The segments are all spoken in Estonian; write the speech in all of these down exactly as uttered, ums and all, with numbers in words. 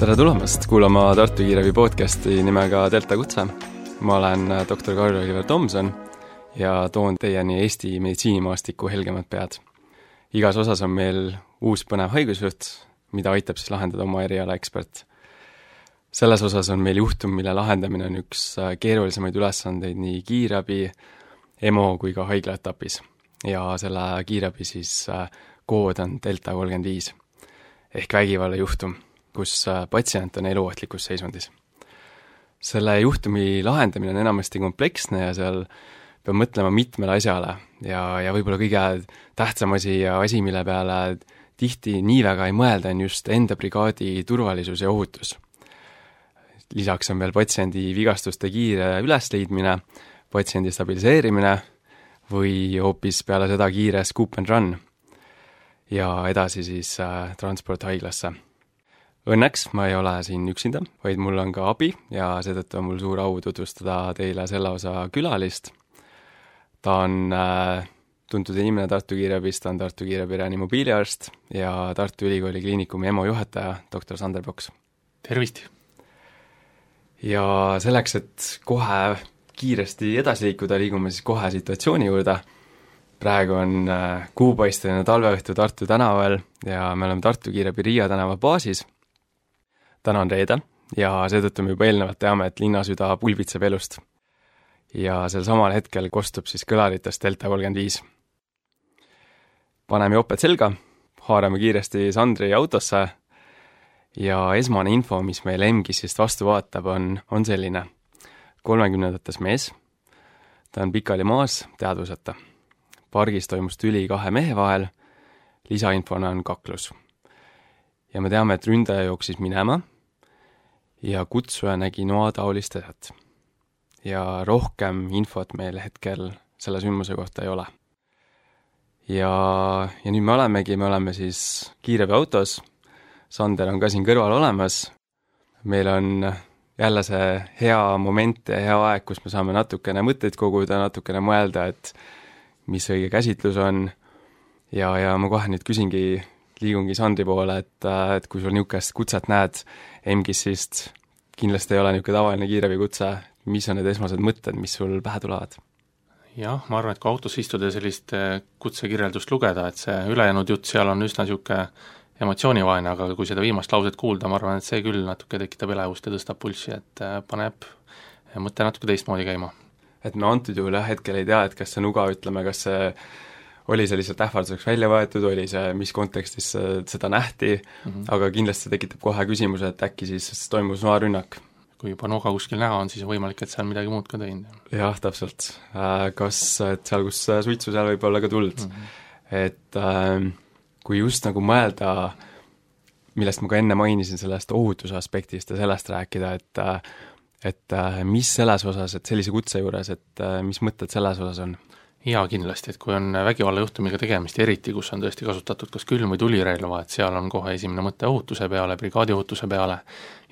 Tere tulemast kuulama Tartu Kiirabi podcasti nimega Delta Kutse. Ma olen doktor Karl-Oliver Tomson ja toon teieni Eesti meditsiinimaastiku helgemad pead. Igas osas on meil uus põnev haigusjuht, mida aitab siis lahendada oma eriala ekspert. Selles osas on meil juhtum, mille lahendamine on üks keerulisemaid ülesandeid nii kiirabi, E M O kui ka haigla etapis. Ja selle kiirabi siis kood on Delta kolmkümmend viis ehk vägivalla juhtum, kus patsient on eluohtlikus seisundis. Selle juhtumi lahendamine on enamasti kompleksne ja seal peab mõtlema mitmele asjale ja, ja võib-olla kõige tähtsam asi ja asi, mille peale tihti nii väga ei mõelda, on just enda brigaadi turvalisus ja ohutus. Lisaks on veel patsiendi vigastuste kiire ülesleidmine, patsiendi stabiliseerimine või hoopis peale seda kiire scoop and run ja edasi siis äh, transport haiglasse. Õnneks ma ei ole siin üksinda, vaid mul on ka abi ja seetõttu on mul suur au tutvustada teile selle osa külalist. Ta on äh, tuntud inimene Tartu Kiirabist, ta on Tartu Kiirabi reanimobiiliarst ja Tartu Ülikooli kliinikumi E M O juhataja, doktor Sander Poks. Tervist! Ja selleks, et kohe kiiresti edasi liikuda, liigume siis kohe situatsiooni juurde. Praegu on äh, kuupaisteline talveõhtu Tartu tänaval ja me oleme Tartu Kiirabi Riia tänava baasis. Täna on reede ja seetõttu me juba eelnevalt teame, et linnasüda pulbitseb elust. Ja sel samal hetkel kostub siis kõlaritest Delta kolmkümmend viis. Paneme joped selga, haarame kiiresti Sandri autosse ja esmane info, mis meil M G I-sist vastu vaatab, on, on selline. kolmekümnendates mees, ta on pikali maas, teadvuseta. Pargis toimus tüli kahe mehe vahel, lisainfona on kaklus. Ja me teame, et ründaja jooksis minema ja kutsuja nägi noataolist asjat. Ja rohkem infot meil hetkel selle sündmuse kohta ei ole. Ja, ja nüüd me olemegi, me oleme siis kiirabi autos, Sander on ka siin kõrval olemas, meil on jälle see hea moment ja hea aeg, kus me saame natukene mõtteid koguda, natukene mõelda, et mis õige käsitlus on ja, ja ma kohe nüüd küsingi liigungi Sandri poole, et, et kui sul niisugust kutset näed M G I-sist, kindlasti ei ole niisugune tavaline kiirabi kutse, mis on need esmased mõtted, mis sul pähe tulevad? Jah, ma arvan, et kui autos istuda sellist kutsekirjeldust lugeda, et see ülejäänud jutt seal on üsna niisugune emotsioonivaene, aga kui seda viimast lauset kuulda, ma arvan, et see küll natuke tekitab elevust ja tõstab pulssi, et paneb mõtte natuke teistmoodi käima. Et me antud juhul jah, hetkel ei tea, et kas see nuga, ütleme, kas see oli see lihtsalt ähvarduseks välja võetud, oli see, mis kontekstis seda nähti, mm-hmm. aga kindlasti tekitab kohe küsimuse, et äkki siis toimus noarünnak. Kui juba nuga kuskil näha on, siis on võimalik, et seal midagi muud ka teinud. Jah, täpselt. Kas et seal, kus suitsu seal võib olla ka tuld. Mm-hmm. Et äh, kui just nagu mõelda, millest ma ka enne mainisin sellest ohutuse aspektist ja sellest rääkida, et, et mis selles osas, et sellise kutse juures, et mis mõtted selles osas on? Jaa, kindlasti, et kui on vägivallajuhtumiga tegemist, eriti kus on tõesti kasutatud kas külm- või tulirelva, et seal on kohe esimene mõte ohutuse peale, brigaadi ohutuse peale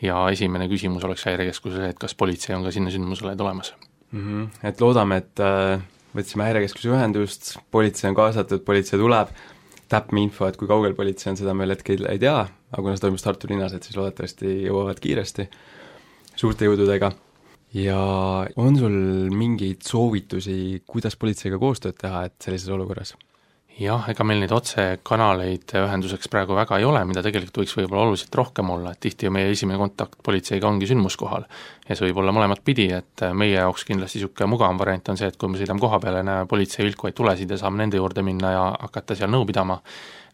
ja esimene küsimus oleks häirekeskusele, et kas politsei on ka sinna sündmusele tulemas. Mm-hmm. Et loodame, et äh, võtsime häirekeskuse ühendust, politsei on kaasatud, politsei tuleb, täpme info, et kui kaugel politsei on, seda meil hetkel ei tea, aga kuna see toimus Tartu linnas, et siis loodetavasti jõuavad kiiresti suurte jõududega. Ja on sul mingeid soovitusi, kuidas politseiga koostööd teha, et sellises olukorras? Jah, ega meil neid otsekanaleid ühenduseks praegu väga ei ole, mida tegelikult võiks võib-olla oluliselt rohkem olla, et tihti meie esimene kontakt politseiga ongi sündmuskohal ja see võib olla mõlemat pidi, et meie jaoks kindlasti niisugune mugavam variant on see, et kui me sõidame koha peale ja näeme politsei vilkuvaid tulesid ja saame nende juurde minna ja hakata seal nõu pidama,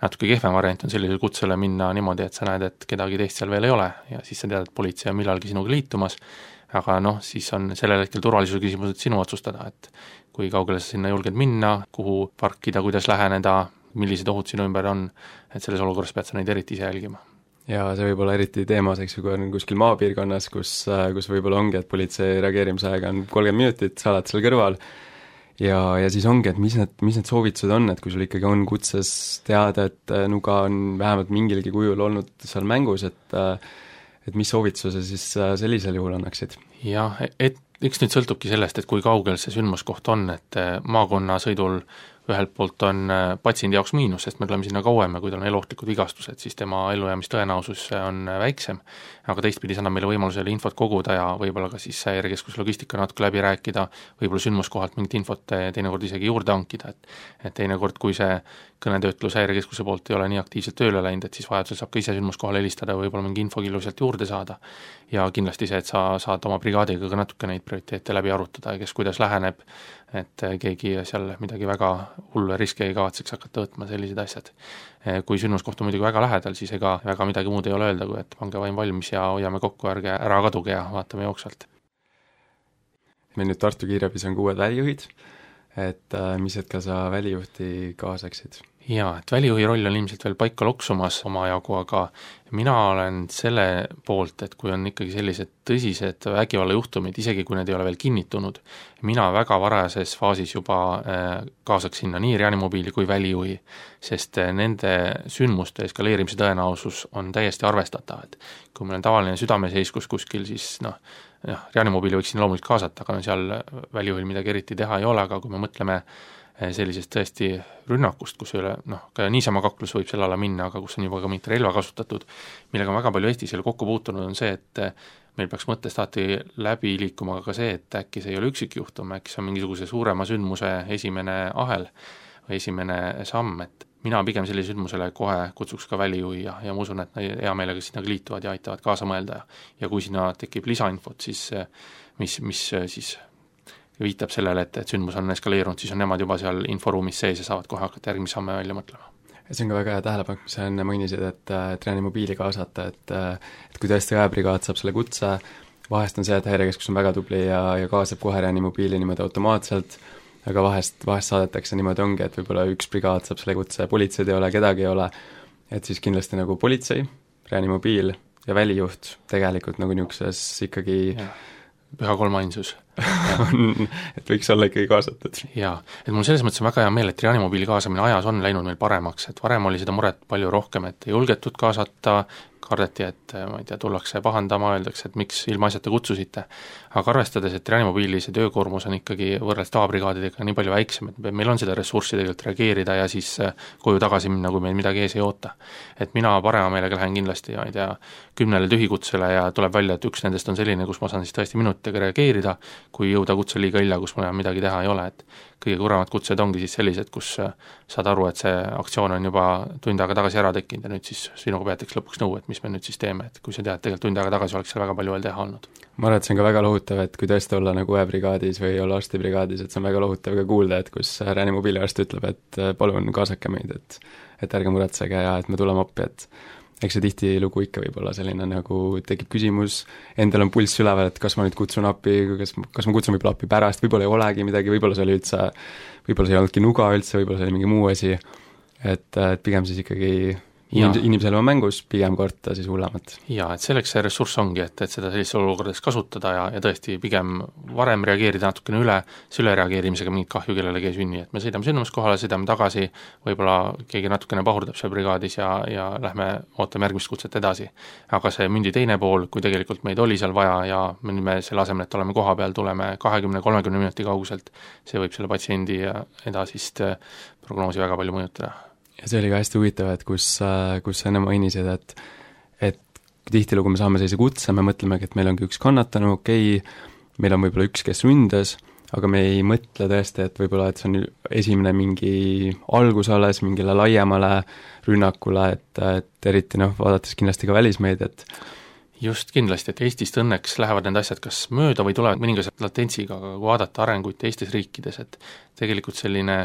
natuke kehvem variant on sellisele kutsele minna niimoodi, et sa näed, et kedagi teist seal veel ei ole ja siis sa tead, et politsei on millalgi sinuga liitumas, aga noh, siis on sellel hetkel turvalisuse küsimused sinu otsustada, et kui kaugele sa sinna julged minna, kuhu parkida, kuidas läheneda, millised ohud sinu ümber on, et selles olukorras pead sa neid eriti ise jälgima. Ja see võib olla eriti teemas, eks ju, kui on kuskil maapiirkonnas, kus, kus võib-olla ongi, et politsei reageerimisaega on kolmkümmend minutit, sa oled seal kõrval ja, ja siis ongi, et mis need, mis need soovitused on, et kui sul ikkagi on kutses teada, et nuga on vähemalt mingilgi kujul olnud seal mängus, et et mis soovituse siis sellisel juhul annaksid? Jah, et eks nüüd sõltubki sellest, et kui kaugel see sündmuskoht on, et maakonna sõidul ühelt poolt on patsiendi jaoks miinus, sest me tuleme sinna kauem ja kui tal on eluohtlikud vigastused, siis tema ellujäämistõenäosus on väiksem, aga teistpidi see annab meile võimalusele infot koguda ja võib-olla ka siis häirekeskuse logistika natuke läbi rääkida, võib-olla sündmuskohalt mingit infot teinekord isegi juurde hankida, et et teinekord, kui see kõnetöötlus häirekeskuse poolt ei ole nii aktiivselt tööle läinud, et siis vajadusel saab ka ise sündmuskohale helistada, võib-olla mingi infokillu sealt juurde saada ja kindlasti see, et sa saad oma brigaadiga ka natuke neid prioriteete läbi arutada ja kes kuidas läheneb, et keegi seal midagi väga hullu ja riske ei kavatseks hakata võtma, sellised asjad. Kui sündmuskoht on muidugi väga lähedal, siis ega väga midagi muud ei ole öelda, kui et pange vaim valmis ja hoiame kokku, ärge ära kaduge ja vaatame jooksvalt. Meil nüüd Tartu kiirabis on kuued välijuhid, et mis hetkel sa välijuhti kaasaksid? Jaa, et välijuhi roll on ilmselt veel paika loksumas omajagu, aga mina olen selle poolt, et kui on ikkagi sellised tõsised vägivallajuhtumid, isegi kui need ei ole veel kinnitunud, mina väga varajases faasis juba kaasaks sinna nii reanimobiili kui välijuhi, sest nende sündmuste eskaleerimise tõenäosus on täiesti arvestatav, et kui meil on tavaline südameseiskus kuskil, siis noh, jah, reanimobiili võiks sinna loomulikult kaasata, aga no seal välijuhil midagi eriti teha ei ole, aga kui me mõtleme sellisest tõesti rünnakust, kus ei ole, noh, ka niisama kaklus võib selle alla minna, aga kus on juba ka mingit relva kasutatud, millega on väga palju Eestis jälle kokku puutunud, on see, et meil peaks mõttest alati läbi liikuma ka see, et äkki see ei ole üksikjuhtum, äkki see on mingisuguse suurema sündmuse esimene ahel või esimene samm, et mina pigem sellise sündmusele kohe kutsuks ka välijuhi ja, ja ma usun, et nad hea meelega sinna liituvad ja aitavad kaasa mõelda ja, ja kui sinna tekib lisainfot, siis mis, mis siis viitab sellele, et, et sündmus on eskaleerunud, siis on nemad juba seal inforuumis sees ja saavad kohe hakata järgmise samme välja mõtlema. See on ka väga hea tähelepanek, mis sa enne mainisid, et, et reanimobiili kaasata, et, et kui tõesti ajabrigaad saab selle kutse, vahest on see, et häirekeskus on väga tubli ja, ja kaasab kohe reanimobiili niimoodi automaatselt, aga vahest, vahest saadetakse niimoodi ongi, et võib-olla üks brigaad saab selle kutse, politseid ei ole, kedagi ei ole, et siis kindlasti nagu politsei, reanimobiil ja välijuht tegelikult nagu niisuguses ikkagi ja. Püha kolmainsus on, et võiks olla ikkagi kaasatud. Jaa, et mul selles mõttes on väga hea meel, et reanimobiili kaasamine ajas on läinud meil paremaks, et varem oli seda muret palju rohkem, et ei julgetud kaasata, kardeti, et ma ei tea, tullakse pahandama, öeldakse, et miks ilma asjata kutsusite. Aga arvestades, et reanimobiili see töökoormus on ikkagi võrreldes tavabrigaadidega nii palju väiksem, et meil on seda ressurssi tegelikult reageerida ja siis koju tagasi minna, kui meil midagi ees ei oota. Et mina parema meelega lähen kindlasti, ma ei tea, kümnele tühikutsele ja tuleb välja, et üks nendest on selline, kus ma saan siis tõesti minutiga reageerida, kui jõuda kutse liiga illa, kus mul midagi teha ei ole, et kõige kuremad kutsed ongi siis sellised, kus saad aru, et see aktsioon on juba tund aega tagasi ära tekkinud ja nüüd siis sinuga peetakse lõpuks nõu, et mis me nüüd siis teeme, et kui sa tead, tegelikult tund aega tagasi oleks seal väga palju veel teha olnud. Ma arvan, et see on ka väga lohutav, et kui tõesti olla nagu ühebrigaadis või olla arstibrigaadis, et see on väga lohutav ka kuulda, et kus reanimobiiliarst ütleb, et palun kaasake meid, et, et ärge muretsege ja et me tuleme appi, et eks see tihtilugu ikka võib olla selline, nagu tekib küsimus, endal on pulss üleval, et kas ma nüüd kutsun appi, kas, kas ma kutsun võib-olla appi pärast, võib-olla ei olegi midagi, võib-olla see oli üldse, võib-olla see ei olnudki nuga üldse, võib-olla see oli mingi muu asi, et, et pigem siis ikkagi inimese, inimesel on mängus, pigem karta siis hullemat. Jaa, et selleks see ressurss ongi, et, et seda sellistes olukordades kasutada ja, ja tõesti pigem varem reageerida natukene üle, see ülereageerimisega mingit kahju kellelegi ei sünni, et me sõidame sündmuskohale, sõidame tagasi, võib-olla keegi natukene pahurdab seal brigaadis ja, ja lähme ootame järgmist kutset edasi. Aga see mündi teine pool, kui tegelikult meid oli seal vaja ja me, me selle asemel, et oleme koha peal, tuleme kahekümne kolmekümne minuti kauguselt, see võib selle patsiendi edasist prognoosi väga palju mõjutada. Ja see oli ka hästi huvitav, et kus, kus sa enne mainisid, et, et tihtilugu me saame sellise kutse, me mõtlemegi, et meil ongi üks kannatanu, okei, meil on võib-olla üks, kes ründas, aga me ei mõtle tõesti, et võib-olla, et see on esimene mingi algus alles mingile laiemale rünnakule, et, et eriti noh, vaadates kindlasti ka välismeediat. Just kindlasti, et Eestist õnneks lähevad need asjad kas mööda või tulevad mõningase latentsiga, aga kui vaadata arenguid teistes riikides, et tegelikult selline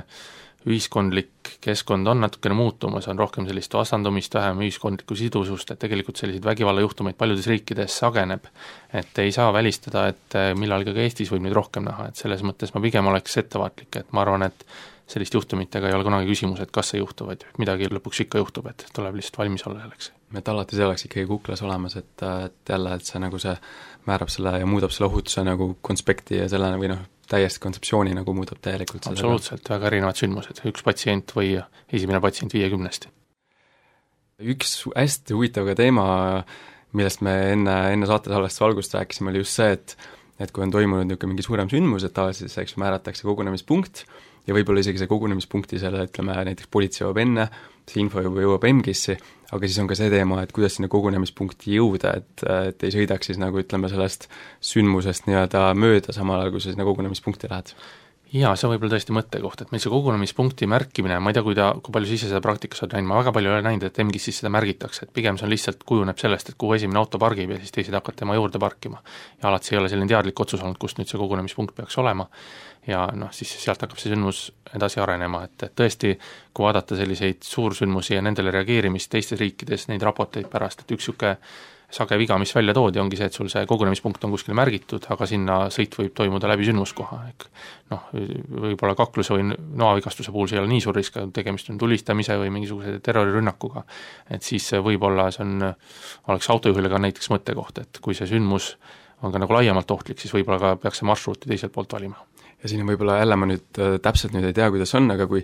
ühiskondlik keskkond on natukene muutumas, on rohkem sellist vastandumist, vähem ühiskondlikku sidusust, et tegelikult selliseid vägivallajuhtumeid paljudes riikides sageneb, et ei saa välistada, et millalgi ka Eestis võib neid rohkem näha, et selles mõttes ma pigem oleks ettevaatlik, et ma arvan, et sellist juhtumitega ei ole kunagi küsimus, et kas see juhtub, et midagi lõpuks ikka juhtub, et tuleb lihtsalt valmis olla selleks. Et alati see oleks ikkagi kuklas olemas, et, et jälle, et see nagu see määrab selle ja muudab selle ohutuse nagu konspekti ja selle või noh, täiesti kontseptsiooni nagu muudab täielikult seda. Absoluutselt, väga erinevad sündmused, üks patsient või esimene patsient viiekümnest. Üks hästi huvitav ka teema, millest me enne, enne saatesalvest valgust rääkisime, oli just see, et et kui on toimunud niisugune mingi suurem sündmus, et tavaliselt eks määratakse kogunemispunkt ja võib-olla isegi see kogunemispunkti selle, ütleme, näiteks politsei jõuab enne, see info juba jõuab E M G-sse, aga siis on ka see teema, et kuidas sinna kogunemispunkti jõuda, et, et ei sõidaks siis nagu ütleme sellest sündmusest nii-öelda mööda, samal ajal kui sa sinna kogunemispunkti lähed. Jaa, see on võib-olla tõesti mõttekoht, et meil see kogunemispunkti märkimine, ma ei tea, kui, ta, kui palju sa ise seda praktikas oled näinud, ma väga palju ei ole näinud, et E M G-s siis seda märgitakse, et pigem see on lihtsalt kujuneb sellest, et kuhu esimene auto pargib ja siis teised hakkavad tema juurde parkima. Ja alati see ei ole selline teadlik otsus olnud, kust nüüd see kogunemispunkt peaks olema ja noh, siis sealt hakkab see sündmus edasi arenema, et, et tõesti, kui vaadata selliseid suursündmusi ja nendele reageerimist teistes riikides, neid raporteid pärast, et üks niisugune sage viga, mis välja toodi, ongi see, et sul see kogunemispunkt on kuskil märgitud, aga sinna sõit võib toimuda läbi sündmuskoha, ehk noh, võib-olla kakluse või noavigastuse puhul see ei ole nii suur risk, tegemist on tulistamise või mingisuguse terrorirünnakuga, et siis võib-olla see on, oleks autojuhile ka näiteks mõttekoht, et kui see sündmus on ka nagu laiemalt ohtlik, siis võib-olla ka peaks see marsruuti teiselt poolt valima. Ja siin on võib-olla jälle ma nüüd täpselt nüüd ei tea, kuidas on, aga kui,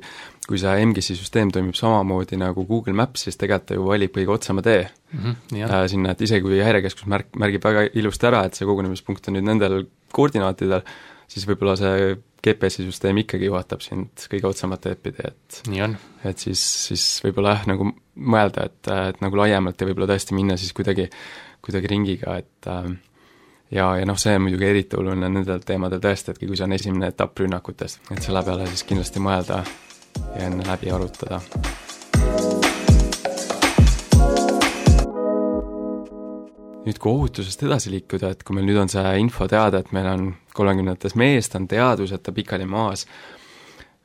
kui see E M G-si süsteem toimib samamoodi nagu Google Maps, siis tegelikult ta ju valib kõige otsama tee mm-hmm, äh, sinna, et isegi kui häirekeskus märk, märgib väga ilusti ära, et see kogunemispunkt on nüüd nendel koordinaatidel, siis võib-olla see G P S-i süsteem ikkagi juhatab sind kõige otsamat teed pidi, et nii on. Et siis, siis võib-olla jah, nagu mõelda, et, et nagu laiemalt ja võib-olla tõesti minna siis kuidagi, kuidagi ringiga, et äh, ja, ja noh, see on muidugi eriti oluline nendel teemadel tõesti, et kui see on esimene etapp rünnakutes, et selle peale siis kindlasti mõelda ja enne läbi arutada. Nüüd kui ohutusest edasi liikuda, et kui meil nüüd on see info teada, et meil on kolmekümnendates meest, on teadus, et ta pikali maas,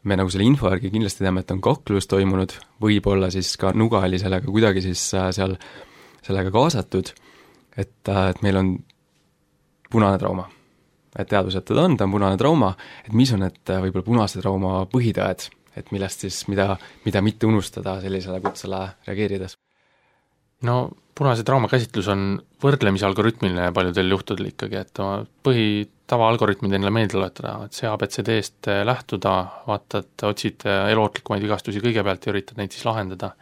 me nagu selle info järgi kindlasti teame, et on kaklus toimunud, võib-olla siis ka Nuga oli sellega kuidagi siis seal sellega kaasatud, et, et meil on punane trauma. Et teadus, et ta on, ta on punane trauma, et mis on need võib-olla punase trauma põhitõed, et millest siis, mida, mida mitte unustada sellisele kutsele reageerides? No punase trauma käsitlus on võrdlemise algoritmiline paljudel juhtudel ikkagi, et põhitava algoritmid endale meelde tuletada, et see A B C D-st lähtuda, vaatad, otsid elootlikumaid vigastusi kõigepealt ja üritad neid siis lahendada.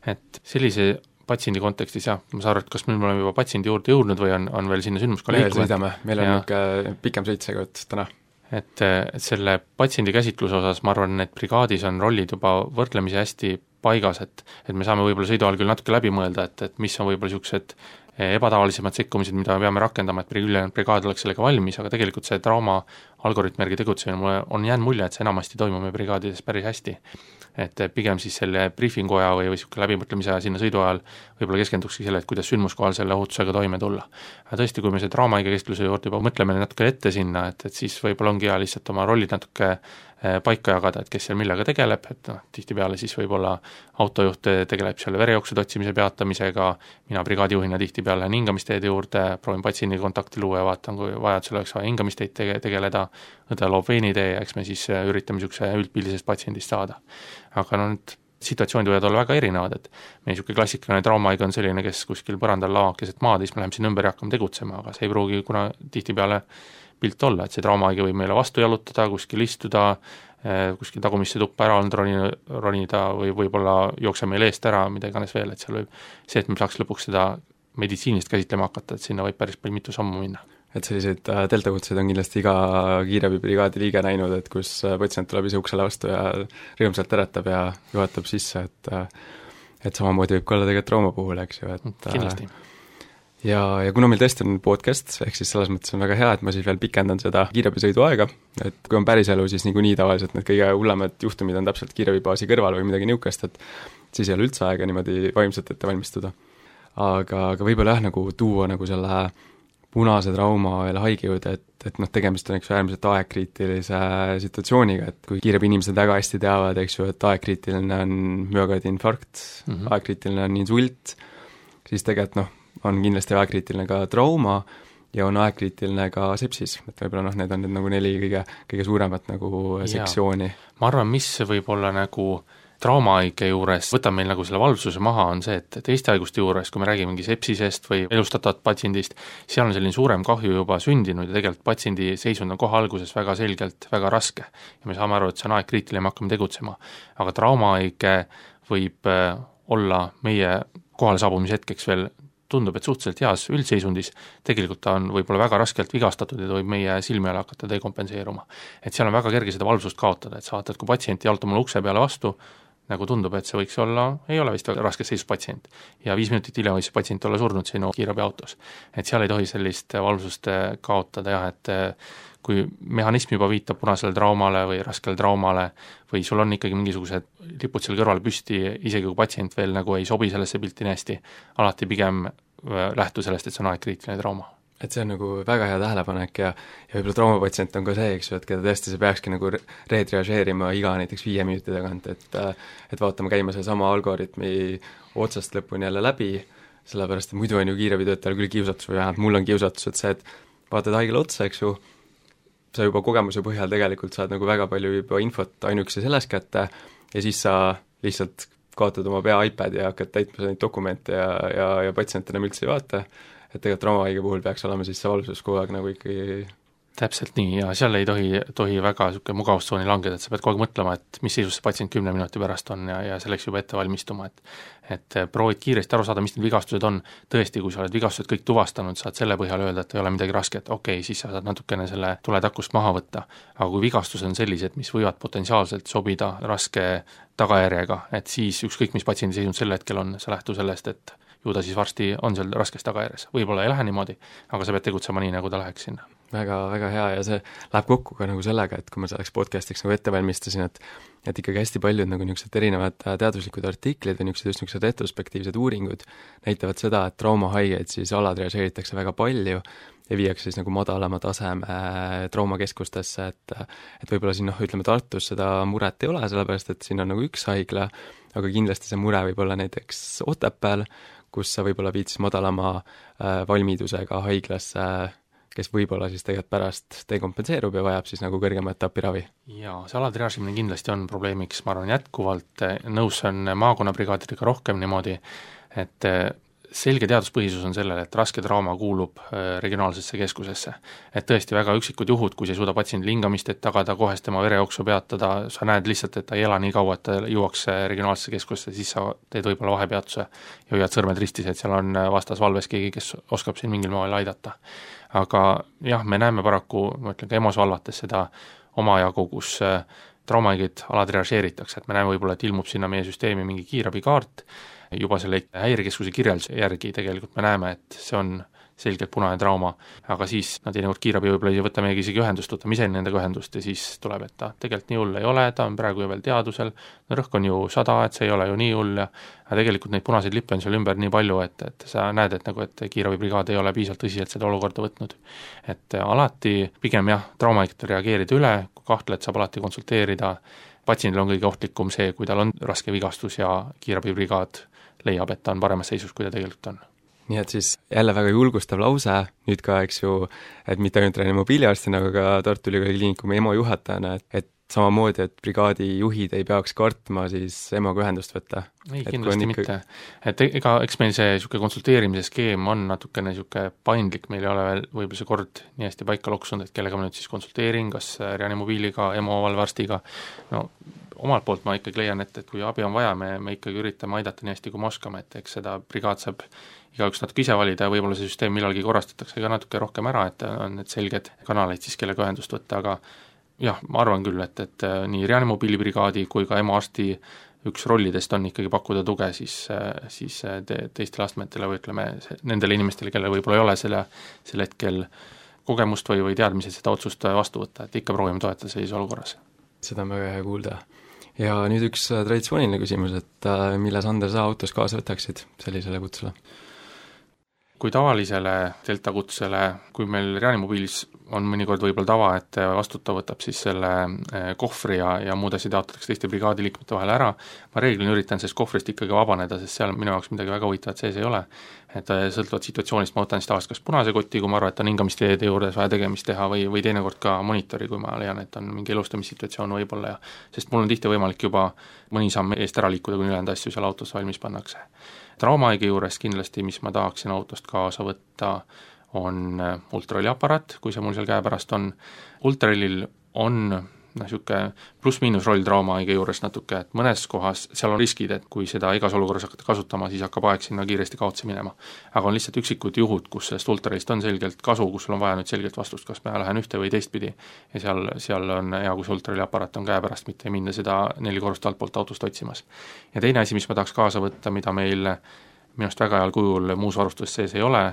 Et sellise patsiendi kontekstis jah, ma saan aru, et kas me oleme juba patsiendi juurde jõudnud või on, on veel sinna sündmuska liikunud? Sõidame, meil on niisugune pikem sõit seekord täna. Et, et selle patsiendi käsitluse osas ma arvan, et brigaadis on rollid juba võrdlemisi hästi paigas, et, et me saame võib-olla sõidu ajal küll natuke läbi mõelda, et, et mis on võib-olla niisugused ebatavalisemad sekkumised, mida me peame rakendama, et ülejäänud brigaad oleks sellega valmis, aga tegelikult see trauma algoritmi järgi tegutsemine mulle on jäänud mulje, et see enamasti toimub meie brigaadides päris hästi. Et pigem siis selle briifingu aja või, või niisugune läbimõtlemise aja sinna sõidu ajal võib-olla keskendukski selle, et kuidas sündmuskohal selle ohutusega toime tulla. Aga tõesti, kui me see traumaiga kestluse juurde juba mõtleme natuke ette sinna, et, et siis võib-olla ongi hea lihtsalt oma rollid natuke paika jagada, et kes seal millega tegeleb, et noh, tihtipeale siis võib-olla autojuht tegeleb seal verejooksude otsimise peatamisega, mina brigaadijuhina tihtipeale lähen hingamisteede juurde, proovin patsiendi kontakti luua ja vaatan, kui vajadusel oleks vaja hingamisteed tege- tegeleda, õde loob veinitee ja eks me siis üritame niisuguse üldpildisest patsiendist saada. Aga no nüüd situatsioonid võivad olla väga erinevad, et meie niisugune klassikaline traumaiga on selline, kes kuskil põrandal lava keset maad, siis me läheme sinna ümber ja hakkame tegutsema, aga see ei pruugi kuna tihtipeale pilt olla, et see traumaaigi võib meile vastu jalutada, kuskil istuda, kuskil tagumisse tuppa ära olnud ronida, ronida või võib-olla jookse meil eest ära, mida iganes veel, et seal võib see, et me saaks lõpuks seda meditsiinist käsitlema hakata, et sinna võib päris palju mitu sammu minna. Et selliseid deltakutseid on kindlasti iga kiirabibrigaadi liige näinud, et kus patsient tuleb ise uksele vastu ja rõõmsalt teretab ja juhatab sisse, et et samamoodi võib ka olla tegelikult trauma puhul, eks ju, et kindlasti. Ja, ja kuna meil tõesti on podcast, ehk siis selles mõttes on väga hea, et ma siis veel pikendan seda kiirabisõidu aega, et kui on päris elu, siis niikuinii tavaliselt need kõige hullemad juhtumid on täpselt kiirabibaasi kõrval või midagi niukest, et siis ei ole üldse aega niimoodi vaimselt ette valmistuda. Aga, aga võib-olla jah, nagu tuua nagu selle punase trauma veel haigejõude, et, et noh, tegemist on eks äärmiselt aegkriitilise situatsiooniga, et kui kiirabi inimesed väga hästi teavad, eks ju, et aegkriitiline on müokardiinfarkt, mm -hmm. aegkriitiline on insult, siis tegelikult noh, on kindlasti aegkriitiline ka trauma ja on aegkriitiline ka sepsis, et võib-olla noh, need on nüüd nagu neli kõige, kõige suuremat nagu sektsiooni. Ma arvan, mis võib olla nagu traumahaige juures võtab meil nagu selle valvsuse maha, on see, et teiste haiguste juures, kui me räägimegi sepsisest või elustatavat patsiendist, seal on selline suurem kahju juba sündinud ja tegelikult patsiendi seisund on kohe alguses väga selgelt väga raske. Ja me saame aru, et see on aegkriitiline, me hakkame tegutsema. Aga traumahaige võib olla meie kohale saabumise hetkeks veel tundub, et suhteliselt heas üldseisundis, tegelikult ta on võib-olla väga raskelt vigastatud ja ta võib meie silmi all hakata dekompenseeruma. Et seal on väga kerge seda valvsust kaotada, et sa vaatad, kui patsient jaltab mulle ukse peale vastu, nagu tundub, et see võiks olla, ei ole vist väga raskes seisus patsient. Ja viis minutit hiljem võis patsient olla surnud sinu kiirabiautos. Et seal ei tohi sellist valvsust kaotada jah, et kui mehhanism juba viitab punasele traumale või raskele traumale või sul on ikkagi mingisugused lipud seal kõrval püsti, isegi kui patsient veel nagu ei sobi sellesse pilti nii hästi, alati pigem lähtu sellest, et see on aegkriitiline trauma. Et see on nagu väga hea tähelepanek ja, ja võib-olla traumapatsient on ka see, eks ju, et keda tõesti see peakski nagu retriažeerima iga näiteks viie minuti tagant, et et vaatame käima selle sama algoritmi otsast lõpuni jälle läbi, sellepärast et muidu on ju kiirabitöötajal küll kiusatus või vähemalt mul on kiusatus, et see, et vaatad haigele otsa, eks ju, sa juba kogemuse põhjal tegelikult saad nagu väga palju juba infot ainukese selles kätte ja siis sa lihtsalt kaotad oma pea iPadi ja hakkad täitma neid dokumente ja, ja, ja patsient enam üldse ei vaata, et tegelikult traumahaige puhul peaks olema siis see valvsus kogu aeg nagu ikkagi täpselt nii, ja seal ei tohi, tohi väga niisugune mugavustsooni langeda, et sa pead kogu aeg mõtlema, et mis seisus see patsient kümne minuti pärast on ja, ja selleks juba ette valmistuma, et et proovid kiiresti aru saada, mis need vigastused on, tõesti, kui sa oled vigastused kõik tuvastanud, saad selle põhjal öelda, et ei ole midagi rasket, okei okay,, siis sa saad natukene selle tuletakust maha võtta, aga kui vigastused on sellised, mis võivad potentsiaalselt sobida raske tagajärjega, et siis ükskõik, mis patsiendi seisund sel hetkel on, sa lähtu sellest, et ju ta siis varsti on seal raskes tagajärjes, võib-olla ei lähe niimoodi, aga sa pead tegutsema nii, nagu ta läheks sinna. Väga, väga hea ja see läheb kokku ka nagu sellega, et kui ma selleks podcastiks nagu ette valmistasin, et et ikkagi hästi paljud nagu niisugused erinevad teaduslikud artiklid või niisugused just niisugused retrospektiivsed uuringud näitavad seda, et traumahaigeid siis alatriažeeritakse väga palju ja viiakse siis nagu madalama taseme traumakeskustesse, et et võib-olla siin noh, ütleme Tartus seda muret ei ole, sellepärast et siin on nagu üks haigla, aga kindlasti see mure võib olla näiteks Otepääl, kus sa võib-olla viid siis madalama äh, valmidusega haiglasse, kes võib-olla siis tegelikult pärast dekompenseerub ja vajab siis nagu kõrgema etapi ravi. Jaa, see alatriaažimine kindlasti on probleemiks, ma arvan jätkuvalt, nõus on maakonnabrigaadidega rohkem niimoodi, et selge teaduspõhisus on sellele, et raske trauma kuulub regionaalsesse keskusesse. Et tõesti väga üksikud juhud, kui sa ei suuda patsiendi lingamist, et tagada kohest tema verejooksu peatada, sa näed lihtsalt, et ta ei ela nii kaua, et ta jõuaks regionaalsesse keskusesse, siis sa teed võib-olla vahepeatuse ja hoiad sõrmed ristis, et seal on vastas valves keegi, kes oskab siin mingil moel aidata. Aga jah, me näeme paraku, ma ütlen ka EMO-s valvates seda omajagu, kus traumahaigeid alatriažeeritakse, et me näeme võib-olla, et ilmub sinna meie süsteemi mingi kiirabikaart, juba selle häirekeskuse kirjelduse järgi tegelikult me näeme, et see on selgelt punane trauma, aga siis nad teinekord kiirabi võib-olla ei võta meiega isegi ühendust, võtame ise nendega ühendust ja siis tuleb, et ta tegelikult nii hull ei ole, ta on praegu ju veel teadusel, no rõhk on ju sada, et see ei ole ju nii hull ja aga tegelikult neid punaseid lippe on seal ümber nii palju, et, et sa näed, et nagu, et kiirabibrigaad ei ole piisavalt tõsiselt seda olukorda võtnud. Et alati pigem jah, traumahaigetel reageerida üle, kui kahtled, saab alati konsulteerida, patsiendil on kõige ohtlikum see, kui tal on raske vigastus ja kiirabibrigaad leiab, et ta on paremas seisus, kui ta tegelikult on. Nii et siis jälle väga julgustav lause, nüüd ka, eks ju, et mitte ainult reanimobiiliarstina, aga ka Tartu Ülikooli Kliinikumi EMO juhatajana, et, et samamoodi, et brigaadi juhid ei peaks kartma siis EMO-ga ühendust võtta. Ei, kindlasti ikka... mitte. Et ega, eks meil see niisugune konsulteerimise skeem on natukene niisugune paindlik, meil ei ole veel võib-olla see kord nii hästi paika loksunud, et kellega ma nüüd siis konsulteerin, kas reanimobiiliga, EMO valvearstiga, no omalt poolt ma ikkagi leian, et, et kui abi on vaja, me, me ikkagi üritame aidata nii hästi, kui me oskame, et eks seda brigaad saab igaüks natuke ise valida ja võib-olla see süsteem millalgi korrastatakse ka natuke rohkem ära, et on need selged kanaleid siis, kellega ühendust võtta, aga jah, ma arvan küll, et, et nii reanimobiilibrigaadi kui ka EMO arsti üks rollidest on ikkagi pakkuda tuge siis, siis te, teistele astmetele või ütleme nendele inimestele, kellel võib-olla ei ole selle, selle hetkel kogemust või, või teadmised seda otsust vastu võtta, et ikka proovime toetada sellises olukorras. Seda on väga hea kuulda. Ja nüüd üks traditsiooniline küsimus, et mille Sander sa autos kaasa võtaksid sellisele kutsele? Kui tavalisele Delta kutsele, kui meil reanimobiilis on mõnikord võib-olla tava, et vastutav võtab siis selle kohvri ja, ja muud asjad jaotatakse teiste brigaadiliikmete vahel ära, ma reeglina üritan sellest kohvrist ikkagi vabaneda, sest seal minu jaoks midagi väga huvitavat sees ei ole. Et sõltuvat situatsioonist ma võtan siis tavaliselt kas punase koti, kui ma arvan, et on hingamisteede juures vaja tegemist teha või, või teinekord ka monitori, kui ma leian, et on mingi elustamissituatsioon võib-olla ja sest mul on tihti võimalik juba mõni samm eest ära liikuda, kui ülejäänud asju seal autos valmis pannakse. Traumahaige juures kindlasti, mis ma tahaksin autost kaasa võtta, on ultraheliaparaat, kui see mul seal käepärast on. Ultrahelil on noh, niisugune pluss-miinus roll traumahaige juures natuke, et mõnes kohas seal on riskid, et kui seda igas olukorras hakata kasutama, siis hakkab aeg sinna kiiresti kaotsi minema. aga on lihtsalt üksikud juhud, kus sellest ultralist on selgelt kasu, kus sul on vaja nüüd selgelt vastust, kas ma lähen ühte või teistpidi ja seal, seal on hea, kui see ultrali aparaat on käe pärast, mitte ei minna seda neli korrust altpoolt autost otsimas. ja teine asi, mis ma tahaks kaasa võtta, mida meil minust väga heal kujul muus varustuses sees ei ole,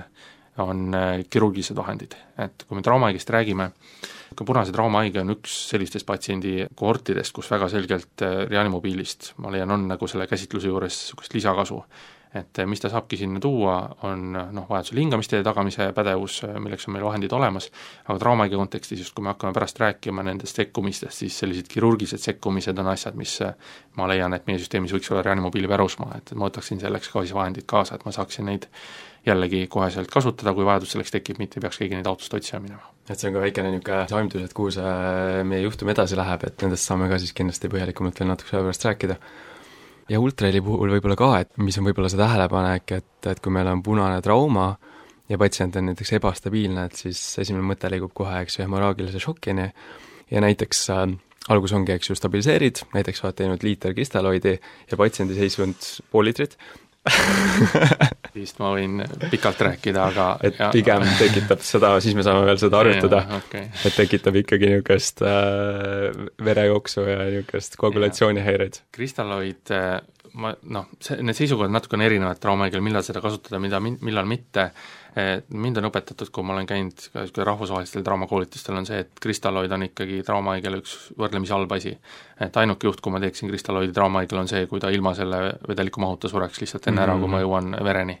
on kirurgilised vahendid. et kui me traumahaigest räägime, ka punase traumahaige on üks sellistest patsiendi kohortidest, kus väga selgelt reanimobiilist, ma leian, on nagu selle käsitluse juures niisugust lisakasu. et mis ta saabki sinna tuua, on noh, vajadusel hingamisteede tagamise pädevus, milleks on meil vahendid olemas, aga traumahaige kontekstis, just kui me hakkame pärast rääkima nendest sekkumistest, siis sellised kirurgilised sekkumised on asjad, mis ma leian, et meie süsteemis võiks olla reanimobiili pärusmaa, et ma võtaksin selleks ka siis vahendid kaasa, et ma saaksin neid jällegi koheselt kasutada, kui vajadus selleks tekib, mitte ei peaks keegi neid autost otsima minema. et see on ka väikene niisugune aimdus, et kuhu see meie juhtum edasi läheb, et nendest saame ka siis kindlasti põhjalikumalt veel natuke selle pärast rääkida. ja ultraheli puhul võib-olla ka, et mis on võib-olla see tähelepanek, et, et kui meil on punane trauma ja patsient on näiteks ebastabiilne, et siis esimene mõte liigub kohe, eks ju, hemorraagilise šokini ja näiteks äh, algus ongi, eks ju, stabiliseerid, näiteks oled teinud liiter kristalloidi ja patsiendi seisund pool liitrit, siis ma võin pikalt rääkida, aga et ja, pigem tekitab seda, siis me saame veel seda arutada, okay. et tekitab ikkagi niisugust äh, verejooksu ja niisugust koagulatsioonihäireid. Kristalloid, ma noh, see, need seisukohad natuke on erinevad traumahaigel, millal seda kasutada, mida, millal mitte. Mind on õpetatud, kui ma olen käinud ka rahvusvahelistel traumakoolitustel, on see, et kristalloid on ikkagi traumahaigel üks võrdlemisi halb asi. Et ainuke juht, kui ma teeksin kristalloidi traumahaigel, on see, kui ta ilma selle vedeliku mahuta sureks lihtsalt enne ära, kui ma jõuan vereni.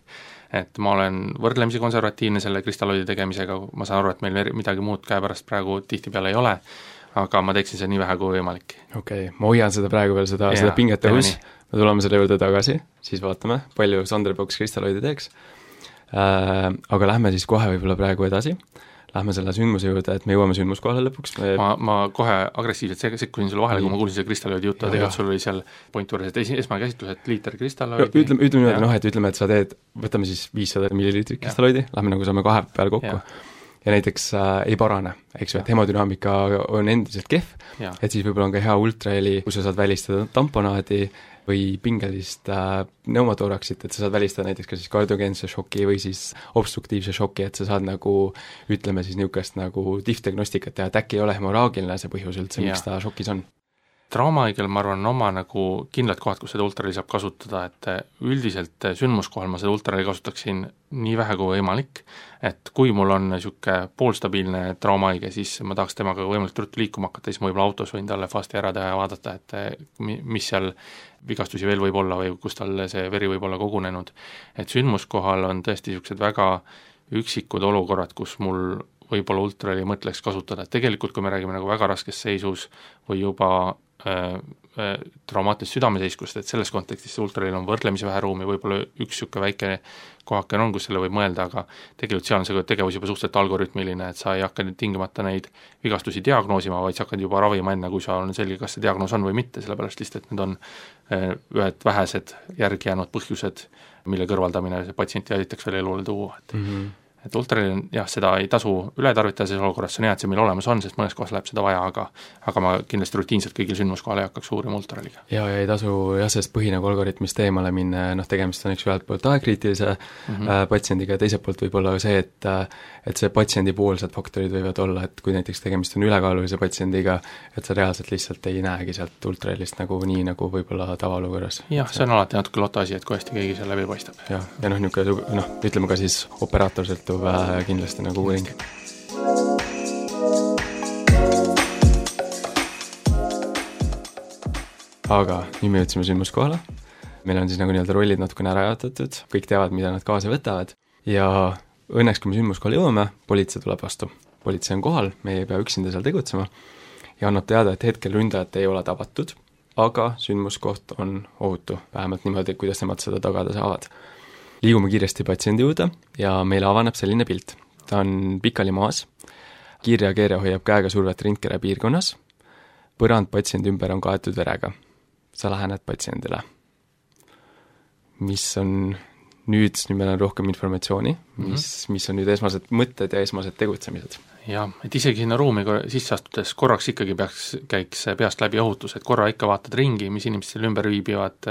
Et ma olen võrdlemisi konservatiivne selle kristalloidi tegemisega, ma saan aru, et meil midagi muud käepärast praegu tihtipeale ei ole, aga ma teeksin seda nii vähe kui võimalik. Okei, okay. ma hoian seda praegu veel, seda, seda pinget õhus, me tuleme selle juurde tagasi, siis vaatame, palju Sander Poks kristalloidi teeks. Äh, aga lähme siis kohe võib-olla praegu edasi, lähme selle sündmuse juurde, et me jõuame sündmuskohale lõpuks me... ma, ma kohe agressiivselt sekkusin sulle vahele, kui ma kuulsin selle kristalloidi juttu, tegelikult sul oli seal point juures, et esmakäsitlus, et liiter kristalloidi ütleme, ütleme niimoodi, noh, et ütleme, et sa teed, võtame siis viissada milliliitrit kristalloidi, lähme nagu saame kahe peale kokku ja, ja näiteks äh, ei parane, eks ju, et hemodünaamika on endiselt kehv, et siis võib-olla on ka hea ultraheli, kus sa saad välistada tamponaadi või pingelist äh, pneumotooraksit, et sa saad välistada näiteks ka siis kardiogeense šoki või siis obstruktiivse šoki, et sa saad nagu, ütleme siis niisugust nagu tifdiagnostikat teha, et äkki ei ole hemorraagiline see põhjus üldse, miks ta šokis on. Traumahaigel, ma arvan, on oma nagu kindlad kohad, kus seda ultraheli saab kasutada, et üldiselt sündmuskohal ma seda ultraheli kasutaksin nii vähe kui võimalik, et kui mul on niisugune poolstabiilne traumahaige, siis ma tahaks temaga võimalikult ruttu liikuma hakata, siis ma võib-olla autos võin talle fasti ära teha ja vaadata, et mis seal vigastusi veel võib olla või kus tal see veri võib olla kogunenud. Et sündmuskohal on tõesti niisugused väga üksikud olukorrad, kus mul võib-olla ultraheli mõtleks kasutada, et tegelikult kui me räägime nagu väga raskes seisus või juba äh, äh, traumaatilist südameseiskust, et selles kontekstis see ultraheli on võrdlemisi vähe ruumi, võib-olla üks niisugune väike kohake on, kus selle võib mõelda, aga tegelikult seal on see tegevus juba suhteliselt algoritmiline, et sa ei hakka tingimata neid vigastusi diagnoosima, vaid sa hakkad juba ravima enne, kui sa on selge, kas see diagnoos on või mitte, sellepärast lihtsalt, et need on äh, ühed vähesed järgi jäänud põhjused, mille kõrvaldamine see patsienti aitaks veel elule tuua, et mm -hmm. et ultraheli, jah, seda ei tasu üle tarvitada selles olukorras, see on hea, et see meil olemas on, sest mõnes kohas läheb seda vaja, aga aga ma kindlasti rutiinselt kõigil sündmuskohal ei hakkaks uurima ultraheliga. Ja, ja ei tasu jah, sellest põhi nagu algoritmist eemale minna, noh, tegemist on üks ühelt poolt aegkriitilise mm -hmm. äh, patsiendiga ja teiselt poolt võib-olla see, et et see patsiendipoolsed faktorid võivad olla, et kui näiteks tegemist on ülekaalulise patsiendiga, et sa reaalselt lihtsalt ei näegi sealt ultrahelist nagu nii, nagu võib-olla tavaolukorras. jah, see on alati natuke loto asi, et kui hästi keegi seal läbi paistab. jah, ja noh, niisugune, noh, ütleme ka siis operaatorselt vähe kindlasti nagu uuring. Aga nüüd me jõudsime sündmuskohale, meil on siis nagu nii-öelda rollid natukene ära jaotatud, kõik teavad, mida nad kaasa võtavad ja õnneks, kui me sündmuskohale jõuame, politsei tuleb vastu. Politsei on kohal, me ei pea üksinda seal tegutsema ja annab teada, et hetkel ründajat ei ole tabatud, aga sündmuskoht on ohutu, vähemalt niimoodi, kuidas nemad seda tagada saavad. Liigume kiiresti patsiendi juurde ja meile avaneb selline pilt. Ta on pikali maas, kiirreageerija hoiab käega survet rindkere piirkonnas, põrand patsiendi ümber on kaetud verega. Sa lähened patsiendile. Mis on nüüd, nüüd meil on rohkem informatsiooni, mis, mm -hmm. mis on nüüd esmased mõtted ja esmased tegutsemised? jah, et isegi sinna ruumi sisse astudes korraks ikkagi peaks, käiks peast läbi ohutus, et korra ikka vaatad ringi, mis inimesed seal ümber viibivad,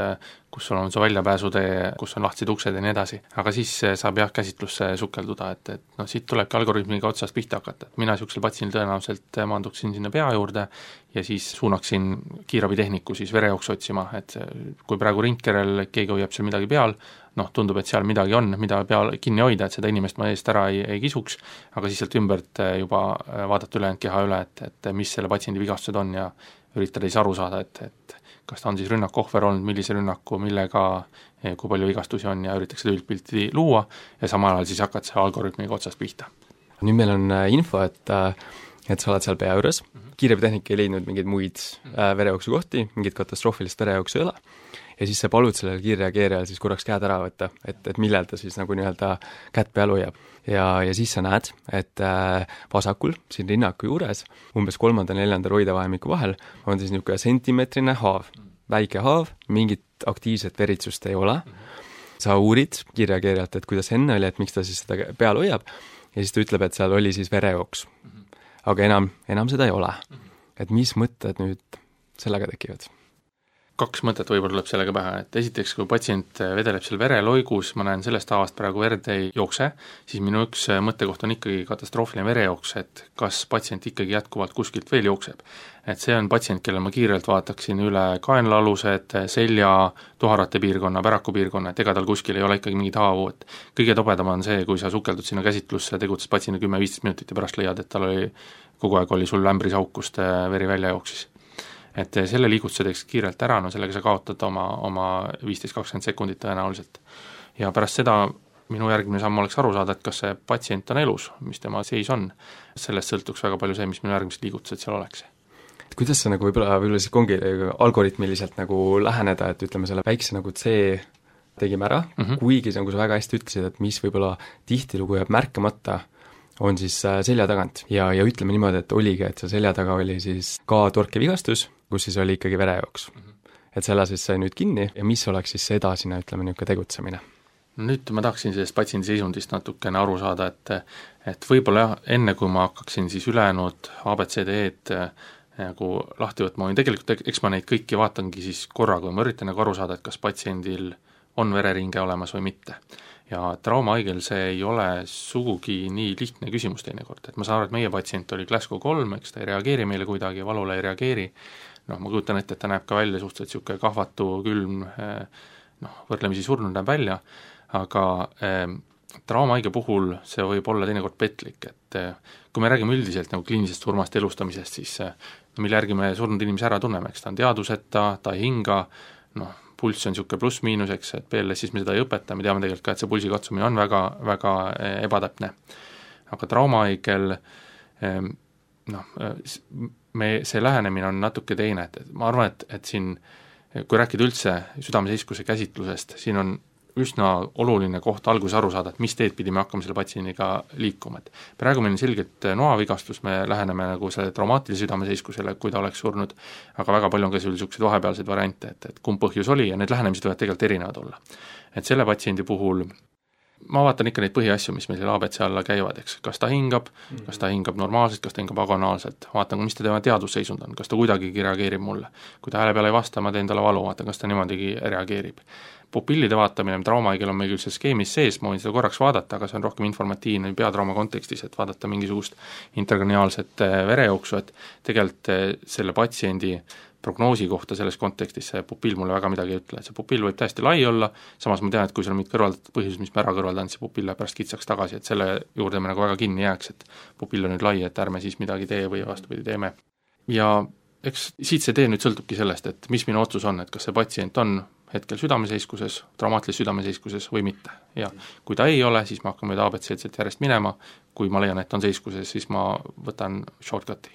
kus sul on su väljapääsutee, kus on lahtised uksed ja nii edasi. Aga siis saab jah käsitlusse sukelduda, et, et noh, siit tulebki algoritmiga otsast pihta hakata, et mina niisugusel patsiendil tõenäoliselt maanduksin sinna pea juurde ja siis suunaksin kiirabitehniku siis verejooksu otsima, et kui praegu ringkerel keegi hoiab seal midagi peal, noh, tundub, et seal midagi on, mida peal kinni hoida, et seda inimest ma eest ära ei, ei kisuks, aga siis sealt ümbert juba vaadata ülejäänud keha üle, et, et mis selle patsiendi vigastused on ja üritada siis aru saada, et, et kas ta on siis rünnaku ohver olnud, millise rünnaku, millega, kui palju vigastusi on ja üritaks seda üldpilti luua ja samal ajal siis hakkad see algoritmiga otsast pihta. Nüüd meil on info, et, et sa oled seal pea juures, kiirabitehnik ei leidnud mingeid muid verejooksu kohti, mingit katastroofilist verejooksu ei ole, ja siis sa palud sellel kiirreageerijal siis korraks käed ära võtta, et, et millal ta siis nagu nii-öelda kätt peal hoiab. Ja, ja siis sa näed, et vasakul, siin rinnaku juures, umbes kolmanda neljanda roidevahemiku vahel, on siis niisugune sentimeetrine haav, väike haav, mingit aktiivset veritsust ei ole. Sa uurid kiirreageerijalt, et kuidas enne oli, et miks ta siis seda peal hoiab, ja siis ta ütleb, et seal oli siis verejooks. Aga enam, enam seda ei ole. Et mis mõtted nüüd sellega tekivad? Kaks mõtet võib-olla tuleb sellega pähe, et esiteks, kui patsient vedeleb seal vereloigus, ma näen sellest haavast praegu verd ei jookse, siis minu üks mõttekoht on ikkagi katastroofiline verejooks, et kas patsient ikkagi jätkuvalt kuskilt veel jookseb. Et see on patsient, kellel ma kiirelt vaataksin üle kaenlaalused, selja, tuharate piirkonna, päraku piirkonna, et ega tal kuskil ei ole ikkagi mingit haavu, et kõige tobedam on see, kui sa sukeldud sinna käsitlusse, tegutses patsiendi kümme viisteist minutit ja pärast leiad, et tal oli, kogu aeg oli sul lämbris auk, kust veri välja jooksis. Et selle liigutuse teeks kiirelt ära, no sellega sa kaotad oma, oma viisteist kakskümmend sekundit tõenäoliselt. Ja pärast seda minu järgmine samm oleks aru saada, et kas see patsient on elus, mis tema seis on. Sellest sõltuks väga palju see, mis minu järgmised liigutused seal oleks. Kuidas sa nagu võib-olla, võib-olla siis ongi algoritmiliselt nagu läheneda, et ütleme selle väikse nagu C tegime ära, mm -hmm. kuigi nagu sa väga hästi ütlesid, et mis võib-olla tihtilugu jääb märkamata, on siis selja tagant. Ja, ja ütleme niimoodi, et oligi, et see selja taga oli siis ka torkevigastus, kus siis oli ikkagi verejooks. Mm -hmm. Et selle siis sai nüüd kinni ja mis oleks siis see edasine, ütleme, niisugune tegutsemine? Nüüd ma tahaksin sellest patsiendi seisundist natukene aru saada, et, et võib-olla jah, enne kui ma hakkaksin siis ülejäänud A B C D E-d nagu lahti võtma, tegelikult eks ma neid kõiki vaatangi siis korraga, ma üritan nagu aru saada, et kas patsiendil on vereringe olemas või mitte. Ja traumahaigel see ei ole sugugi nii lihtne küsimus teinekord, et ma saan aru, et meie patsient oli Glasgow kolm, eks ta ei reageeri meile kuidagi, valule ei reageeri, noh, ma kujutan ette, et ta näeb ka välja suhteliselt niisugune kahvatu, külm, noh, võrdlemisi surnud näeb välja, aga eh, traumahaige puhul see võib olla teinekord petlik, et eh, kui me räägime üldiselt nagu kliinilisest surmast elustamisest, siis eh, mille järgi me surnud inimese ära tunneme, eks ta on teaduseta, ta ei hinga, noh, pulss on niisugune pluss-miinus, eks, et P L S-is me seda ei õpeta, me teame tegelikult ka, et see pulsi katsumine on väga, väga ebatäpne. Aga traumahaigel noh, me, see lähenemine on natuke teine, et ma arvan, et, et siin, kui rääkida üldse südameseiskuse käsitlusest, siin on üsna oluline koht alguses aru saada, et mis teed pidi me hakkame selle patsiendiga liikuma, et praegu meil on selgelt noavigastus, me läheneme nagu selle traumaatilise südameseiskusele, kui ta oleks surnud, aga väga palju on ka selliseid vahepealseid variante, et, et kumb põhjus oli ja need lähenemised võivad tegelikult erinevad olla. Et selle patsiendi puhul ma vaatan ikka neid põhiasju, mis meil selle A B C alla käivad, eks, kas ta hingab, kas ta hingab normaalselt, kas ta hingab agonaalselt, vaatan, mis ta tema teadusseisund on, kas ta kuidagigi reageerib mulle. Kui ta hääle peale ei vasta, ma teen talle valu, vaatan, kas ta niimoodi reageerib. Pupillide vaatamine, traumahaigel on meil küll see skeemis sees, ma võin seda korraks vaadata, aga see on rohkem informatiivne peatrauma kontekstis, et vaadata mingisugust interkraniaalset verejooksu, et tegelikult selle patsiendi prognoosi kohta selles kontekstis see pupill mulle väga midagi ei ütle, et see pupill võib täiesti lai olla, samas ma tean, et kui seal on mingid kõrvaldatud põhjused, mis me ära kõrvaldanud, see pupill läheb pärast kitsaks tagasi, et selle juurde me nagu väga kinni jääks, et pupill on nüüd lai, et ärme siis midagi tee või vastupidi teeme. Ja eks siit see tee nüüd sõltubki sellest, et mis minu otsus on, et kas see patsient on hetkel südameseiskuses, traumaatilises südameseiskuses või mitte. Ja kui ta ei ole, siis ma hakkan mööda A B C-d järjest minema, kui ma leian, et on seiskuses, siis ma võtan shortcuti.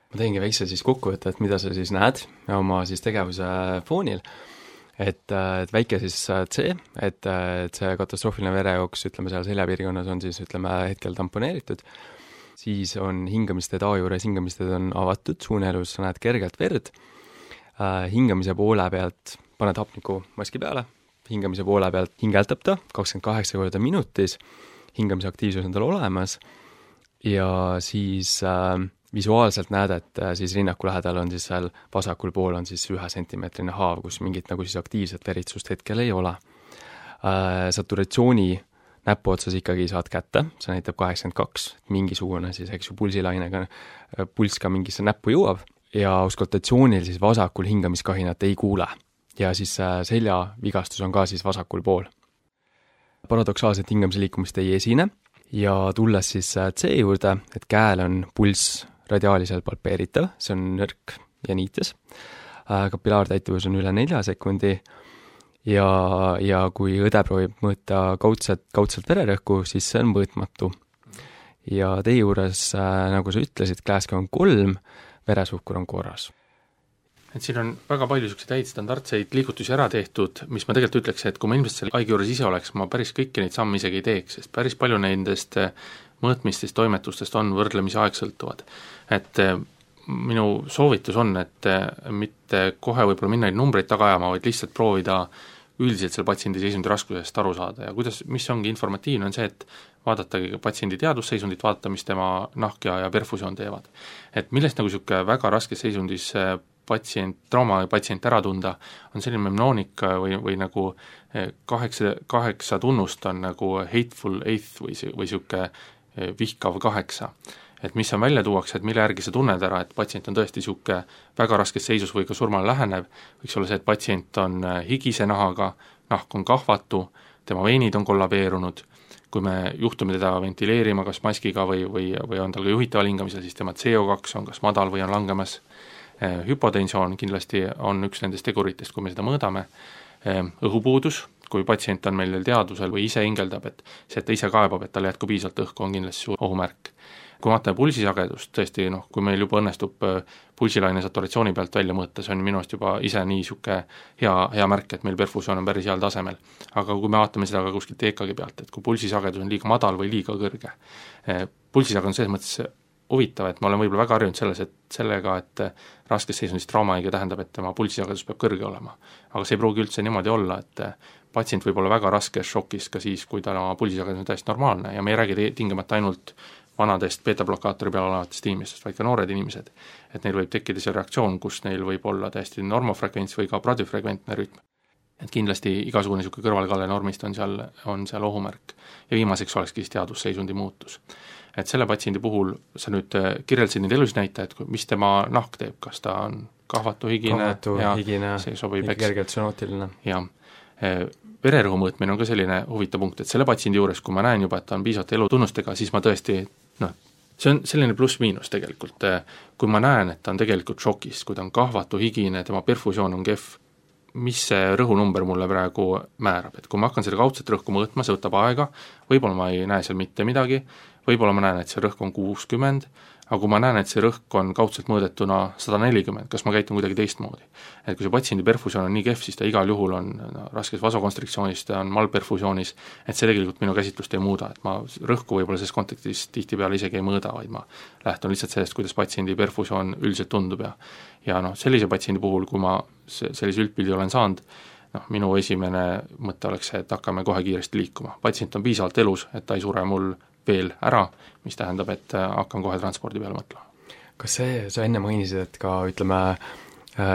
Ma teengi väikse siis kokkuvõtte, et mida sa siis näed oma siis tegevuse foonil, et, et väike siis C, et, et see katastroofiline verejooks, ütleme seal seljapiirkonnas on siis, ütleme, hetkel tamponeeritud, siis on hingamisteed A juures, hingamisteed on avatud, suuneelus sa näed kergelt verd, hingamise poole pealt paned hapniku maski peale, hingamise poole pealt hingeldab ta kakskümmend kaheksa korda minutis, hingamise aktiivsus on tal olemas ja siis äh, visuaalselt näed, et äh, siis rinnaku lähedal on siis seal vasakul pool on siis ühe sentimeetrine haav, kus mingit nagu siis aktiivset veritsust hetkel ei ole äh,. Saturatsiooni näpuotsas ikkagi saad kätte, see näitab kaheksakümmend kaks, mingisugune siis, eks ju, pulsilainega, pulss ka mingisse näppu jõuab ja auskultatsioonil siis vasakul hingamiskahinat ei kuule. Ja siis äh, seljavigastus on ka siis vasakul pool. Paradoksaalset hingamise liikumist ei esine ja tulles siis C juurde, et käel on pulss radiaaliselt palpeeritav, see on nõrk ja niites. Kapilaartäituvus on üle nelja sekundi ja, ja kui õde proovib mõõta kaudselt, kaudselt vererõhku, siis see on mõõtmatu. Ja teie juures, nagu sa ütlesid, Glasgow on kolm, veresuhkur on korras. Et siin on väga palju niisuguseid häid standardseid liigutusi ära tehtud, mis ma tegelikult ütleks, et kui ma ilmselt selle haige juures ise oleks, ma päris kõiki neid samme isegi ei teeks, sest päris palju nendest mõõtmistest, toimetustest on võrdlemisi aegsõltuvad. Et minu soovitus on, et mitte kohe võib-olla minna neid numbreid taga ajama, vaid lihtsalt proovida üldiselt selle patsiendi seisundi raskusest aru saada ja kuidas, mis ongi informatiivne, on see, et vaadatagi patsiendi teadusseisundit, vaadata, mis tema nahk ja, ja perfusioon teevad. Et millest nagu niisugune väga raskes seisundis patsient, trauma patsient ära tunda, on selline memnoonik või, või nagu kaheksa, kaheksa tunnust on nagu hateful eighth või, või niisugune vihkav kaheksa. Et mis on välja tuuakse, et mille järgi sa tunned ära, et patsient on tõesti niisugune väga raskes seisus või ka surmale lähenev, võiks olla see, et patsient on higise nahaga, nahk on kahvatu, tema veenid on kollabeerunud, kui me juhtume teda ventileerima kas maskiga või, või, või on tal ka juhitaval hingamisel, siis tema C O kaks on kas madal või on langemas. Hüpotensioon kindlasti on üks nendest teguritest, kui me seda mõõdame. Õhupuudus, kui patsient on meil teadvusel või ise hingeldab, et see, et ta ise kaebab, et tal jätku piisavalt õhku, on kindlasti suur ohumärk. Kui vaatame pulsisagedust, tõesti, noh, kui meil juba õnnestub pulsilaine saturatsiooni pealt välja mõõta, see on minu arust juba ise nii niisugune hea, hea märk, et meil perfusioon on päris heal tasemel. Aga kui me vaatame seda ka kuskilt E K G pealt, et kui pulsisagedus on liiga madal või liiga kõrge, pulsisagedus on selles mõttes huvitav, et ma olen võib-olla väga harjunud selles, et sellega, et raskes seisundis traumahaige tähendab, et tema pulsisagedus peab kõrge olema. Aga see ei pruugi üldse niimoodi olla, et patsient võib olla väga raskes šokis ka siis, kui ta pulsisagedus on täiesti normaalne ja me ei räägi tingimata ainult vanadest beta-blokaatori peal olevatest inimestest, vaid ka noored inimesed. Et neil võib tekkida see reaktsioon, kus neil võib olla täiesti normofrekvents või ka bradifrekventne rütm. Et kindlasti igasugune niisugune kõrvalkalle normist on seal, on seal ohumärk. Ja viimaseks olekski teadusseisundi muutus. Et selle patsiendi puhul sa nüüd kirjeldasid neid elusnäitajad, mis tema nahk teeb, kas ta on kahvatu, higine, kahvatu, ja higine, see sobib, eks. Kergelt sonootiline. Jah. Vererõhu mõõtmine on ka selline huvitav punkt, et selle patsiendi juures, kui ma näen juba, et ta on piisavalt elutunnustega, siis ma tõesti, noh, see on selline pluss-miinus tegelikult. Kui ma näen, et ta on tegelikult šokis, kui ta on kahvatu, higine, tema perfusioon on kehv, mis see rõhunumber mulle praegu määrab, et kui ma hakkan seda kaudset rõhku mõõtma, see võtab aega, võib-olla ma ei näe seal mitte midagi, võib-olla ma näen, et see rõhk on kuuskümmend, aga kui ma näen, et see rõhk on kaudselt mõõdetuna sada nelikümmend, kas ma käitun kuidagi teistmoodi? Et kui see patsiendi perfusioon on nii kehv, siis ta igal juhul on no, raskes vasokonstriktsioonis, ta on malperfusioonis, et see tegelikult minu käsitlust ei muuda, et ma rõhku võib-olla selles kontekstis tihtipeale isegi ei mõõda, vaid ma lähtun lihtsalt sellest, kuidas patsiendi perfusioon üldiselt tundub ja ja noh, sellise patsiendi puhul, kui ma sellise üldpildi olen saanud, noh, minu esimene mõte oleks see, et hakkame kohe kiiresti liikuma. Patsient on piisavalt elus, et ta ei sure mul veel ära, mis tähendab, et hakkan kohe transpordi peale mõtlema. Kas see, sa enne mainisid, et ka ütleme,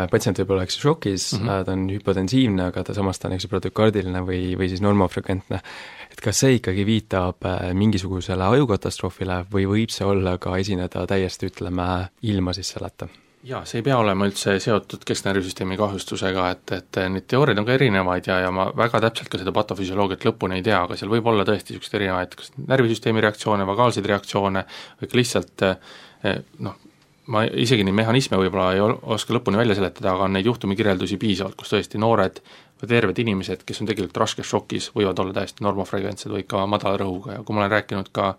patsient võib olla eks šokis, mm -hmm. ta on hüpotensiivne, aga ta samas ta on eks protokardiline või, või siis normofrekventne, et kas see ikkagi viitab mingisugusele ajukatastroofile või võib see olla ka esineda täiesti, ütleme, ilma siis selleta? Jaa, see ei pea olema üldse seotud kesknärvisüsteemi kahjustusega, et, et neid teooriaid on ka erinevaid ja, ja ma väga täpselt ka seda patofüsioloogiat lõpuni ei tea, aga seal võib olla tõesti niisugused erinevaid kas närvisüsteemi reaktsioone, vagaalseid reaktsioone või ka lihtsalt noh, ma isegi neid mehhanisme võib-olla ei oska lõpuni välja seletada, aga on neid juhtumikirjeldusi piisavalt, kus tõesti noored või terved inimesed, kes on tegelikult raskes šokis, võivad olla täiesti normofrekventsed või ka madala rõhuga ja kui ma olen rääkinud ka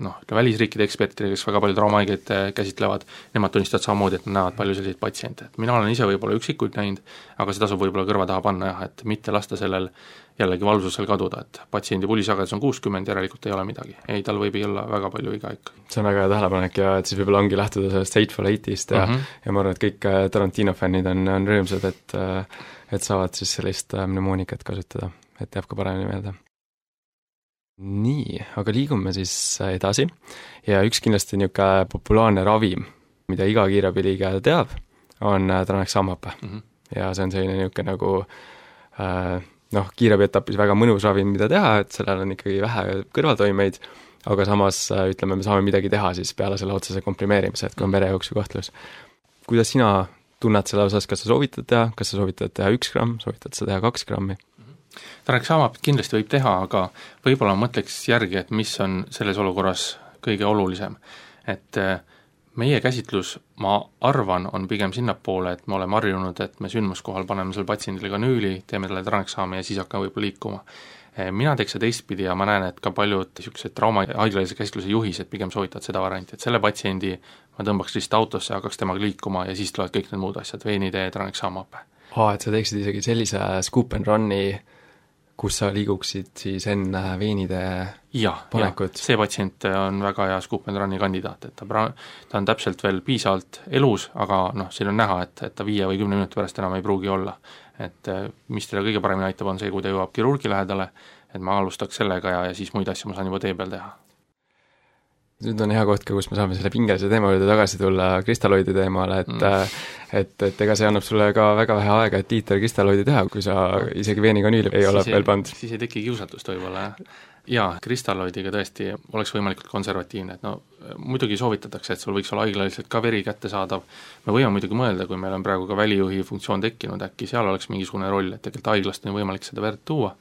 noh, välisriikide ekspertidega, kes väga palju traumahaigeid käsitlevad, nemad tunnistavad samamoodi, et nad näevad palju selliseid patsiente. Et mina olen ise võib-olla üksikuid näinud, aga see tasub võib-olla kõrva taha panna jah, et mitte lasta sellel jällegi valvsusel kaduda, et patsiendi pulisagedus on kuuskümmend, järelikult ei ole midagi. Ei, tal võib olla väga palju iga ikka. See on väga hea tähelepanek ja et siis võib-olla ongi lähtuda sellest Hateful Eight'ist ja, mm -hmm. ja ma arvan, et kõik Tarantino fännid on, on rõõmsad, et et saavad siis sellist mnemoonikat kasutada, et jääb ka paremini meelde. nii, aga liigume siis edasi ja üks kindlasti niisugune populaarne ravim, mida iga kiirabiliige teab, on tranexamape mm. -hmm. ja see on selline niisugune nagu äh, noh, kiirabi etapis väga mõnus ravim, mida teha, et sellel on ikkagi vähe kõrvaltoimeid, aga samas ütleme, me saame midagi teha siis peale selle otsese komprimeerimise, et kui on verejooksu kahtlus. Kuidas sina tunned selle osas, kas sa soovitad teha, kas sa soovitad teha üks gramm, soovitad sa teha kaks grammi? Tranexamapet kindlasti võib teha, aga võib-olla mõtleks järgi, et mis on selles olukorras kõige olulisem. Et meie käsitlus, ma arvan, on pigem sinnapoole, et me oleme harjunud, et me sündmuskohal paneme selle patsiendile kanüüli, teeme talle tranexami ja siis hakkame võib-olla liikuma. Mina teeks seda teistpidi ja ma näen, et ka paljud niisugused trauma haiglalise käsitluse juhised pigem soovitavad seda varianti, et selle patsiendi ma tõmbaks lihtsalt autosse ja hakkaks temaga liikuma ja siis tulevad kõik need muud asjad, veenitee, tranexamape. Aa, et sa teeksid isegi sellise scoop and run'i, kus sa liiguksid siis enne veenide ja, panekut? Ja, see patsient on väga hea scoop and run'i kandidaat, et ta, pra- ta on täpselt veel piisavalt elus, aga noh, siin on näha, et, et ta viie või kümne minuti pärast enam ei pruugi olla. Et mis teile kõige paremini aitab, on see, kui ta jõuab kirurgi lähedale, et ma alustaks sellega ja, ja siis muid asju ma saan juba tee peal teha. Nüüd on hea koht ka, kus me saame selle pingelise teema juurde tagasi tulla kristalloidi teemale, et mm. et, et ega see annab sulle ka väga vähe aega, et liiter kristalloidi teha, kui sa isegi veenikanüüli ei ole veel pandud. Siis ei teki kiusatust võib-olla, jah. Jaa, kristalloidiga tõesti oleks võimalikult konservatiivne, et no muidugi soovitatakse, et sul võiks olla haiglaliselt ka veri kättesaadav. Me võime muidugi mõelda, kui meil on praegu ka välijuhi funktsioon tekkinud, äkki seal oleks mingisugune roll, et tegelikult haiglast on võimalik seda verd tuua,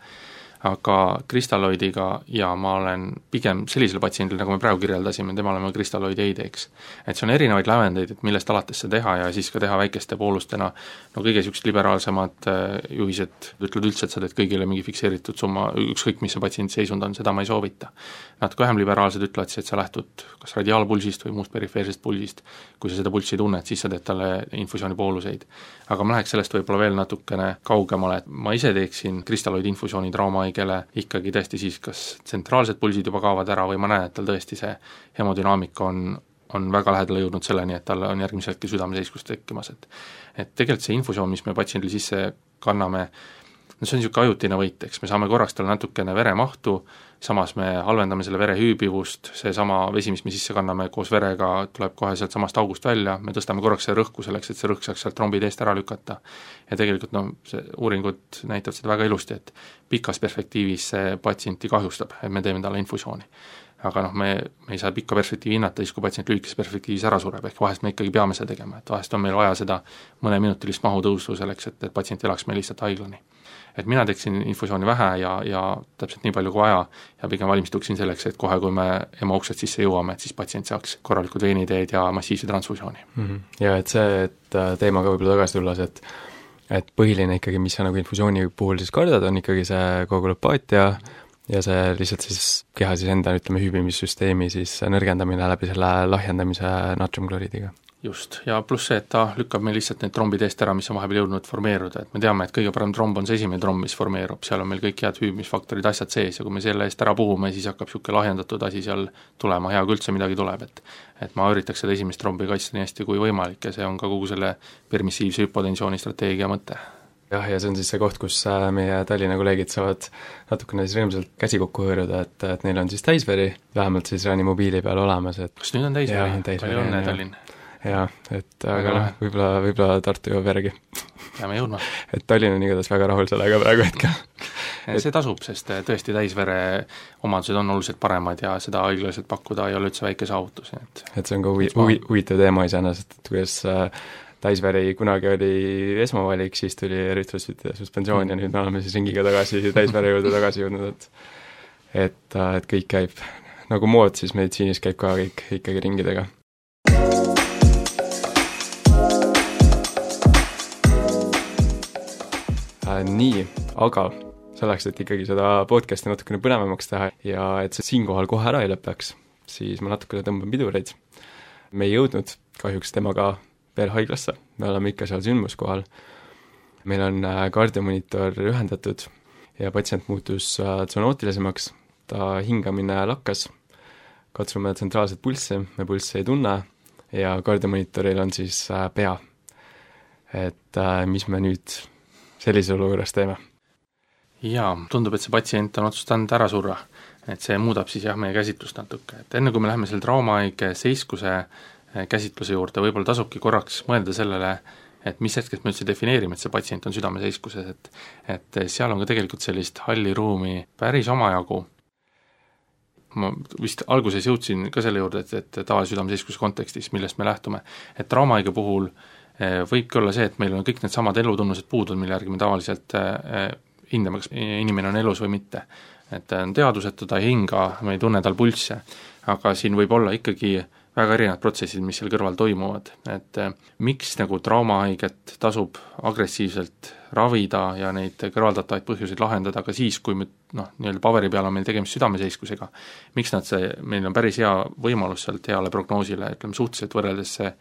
aga kristalloidiga ja ma olen pigem sellisel patsiendil, nagu me praegu kirjeldasime, temale ma kristalloidi ei teeks. Et see on erinevaid lävendeid, et millest alates see teha ja siis ka teha väikeste poolustena, no kõige niisugused liberaalsemad juhised ütlevad üldse, et sa teed kõigile mingi fikseeritud summa, ükskõik mis see patsiendi seisund on, seda ma ei soovita. Nad ka vähem liberaalsed ütlevad siis, et sa lähtud kas radiaalpulsist või muust perifeersest pulsist, kui sa seda pulssi tunnet, siis sa teed talle infusiooni pooluseid. Aga ma läheks sellest võib-olla veel natukene kaugemale, et ma ise teeksin kristalloidi infusiooni trauma kelle ikkagi tõesti siis kas tsentraalsed pulsid juba kaovad ära või ma näen, et tal tõesti see hemodünaamika on, on väga lähedale jõudnud selleni, et tal on järgmisel hetkel südameseiskus tekkimas, et et tegelikult see infusioon, mis me patsiendile sisse kanname, no see on niisugune ajutine võit, eks me saame korraks talle natukene veremahtu, samas me halvendame selle vere hüübivust, see sama vesi, mis me sisse kanname koos verega, tuleb kohe sealt samast august välja, me tõstame korraks see rõhku selleks, et see rõhk saaks sealt trombide eest ära lükata. Ja tegelikult no, see uuringud näitavad seda väga ilusti, et pikas perspektiivis see patsienti kahjustab, et me teeme talle infusiooni. Aga noh, me, me ei saa pikka perspektiivi hinnata, siis kui patsient lühikese perspektiivis ära sureb, ehk vahest me ikkagi peame seda tegema, et vahest on meil vaja seda mõneminutilist mahutõusu selleks, et, et patsient elaks meil lihtsalt haiglani. Et mina teeksin infusiooni vähe ja, ja täpselt nii palju kui vaja ja pigem valmistuksin selleks, et kohe, kui me ema uksed sisse jõuame, et siis patsient saaks korralikud veeniteed ja massiivse transfusiooni. Mm -hmm. Ja et see, et teemaga võib-olla tagasi tulles, et et põhiline ikkagi, mis sa nagu infusiooni puhul siis kardad, on ikkagi see koagulopaatia ja see lihtsalt siis keha siis enda, ütleme, hüübimissüsteemi siis nõrgendamine läbi selle lahjendamise natriumkloriidiga. Just, ja pluss see, et ta lükkab meil lihtsalt need trombid eest ära, mis on vahepeal jõudnud formeeruda, et me teame, et kõige parem tromb on see esimene tromb, mis formeerub, seal on meil kõik head hüübimisfaktorid, asjad sees ja kui me selle eest ära puhume, siis hakkab niisugune lahjendatud asi seal tulema, hea kui üldse midagi tuleb, et et ma üritaks seda esimest trombi kaitsta nii hästi kui võimalik ja see on ka kogu selle permissiivse hüpotensiooni strateegia mõte. Jah, ja see on siis see koht, kus meie Tallinna kolleegid saavad natukene siis rõõmsalt käsi kokku hõõruda, et, et neil on siis täisveri, vähemalt siis Reanimobiili peal olemas. Et kas nüüd on täisveri? Palju õnne, Tallinn! Jaa, et aga noh, võib-olla, võib-olla Tartu jõuab järgi. Peame jõudma. Et Tallinn on igatahes väga rahul sellega praegu hetkel. Et see tasub, sest tõesti täisvere omadused on oluliselt paremad ja seda haiglaliselt pakkuda ei ole üldse väike saavutus. Et, et see on ka huvi, huvi, huvitav teema iseenesest, et kuidas täisveri kunagi oli esmavalik, siis tuli eritrosüütide suspensioon mm. ja nüüd me oleme siis ringiga tagasi täisvere juurde tagasi jõudnud, et et, et kõik käib nagu mood, siis meditsiinis käib ka kõik ikkagi ringidega. Nii, aga selleks, et ikkagi seda podcasti natukene põnevamaks teha ja et see siinkohal kohe ära ei lõpeks, siis ma natukene tõmban pidureid. Me ei jõudnud kahjuks temaga veel haiglasse, me oleme ikka seal sündmuskohal. Meil on kardiomonitor ühendatud ja patsient muutus tsonootilisemaks, ta hingamine lakkas, katsume tsentraalset pulssi, me pulssi ei tunne ja kardiomonitoril on siis pea. Et mis me nüüd sellises olukorras teeme? Jaa, tundub, et see patsient on otsustanud ära surra, et see muudab siis jah, meie käsitlust natuke, et enne kui me läheme selle traumahaige seiskuse käsitluse juurde, võib-olla tasubki korraks mõelda sellele, et mis hetkest me üldse defineerime, et see patsient on südameseiskuses, et et seal on ka tegelikult sellist halli ruumi päris omajagu. Ma vist alguses jõudsin ka selle juurde, et, et tavalise südameseiskuse kontekstis, millest me lähtume, et traumahaige puhul võibki olla see, et meil on kõik need samad elutunnused puudud, mille järgi me tavaliselt hindame, kas inimene on elus või mitte. Et ta on teaduseta, ta ei hinga, me ei tunne tal pulsse, aga siin võib olla ikkagi väga erinevad protsessid, mis seal kõrval toimuvad, et miks nagu traumahaiget tasub agressiivselt ravida ja neid kõrvaldatavaid põhjuseid lahendada ka siis, kui me noh, nii-öelda paberi peal on meil tegemist südameseiskusega, miks nad see, meil on päris hea võimalus sealt heale prognoosile, ütleme suhteliselt võrreldes see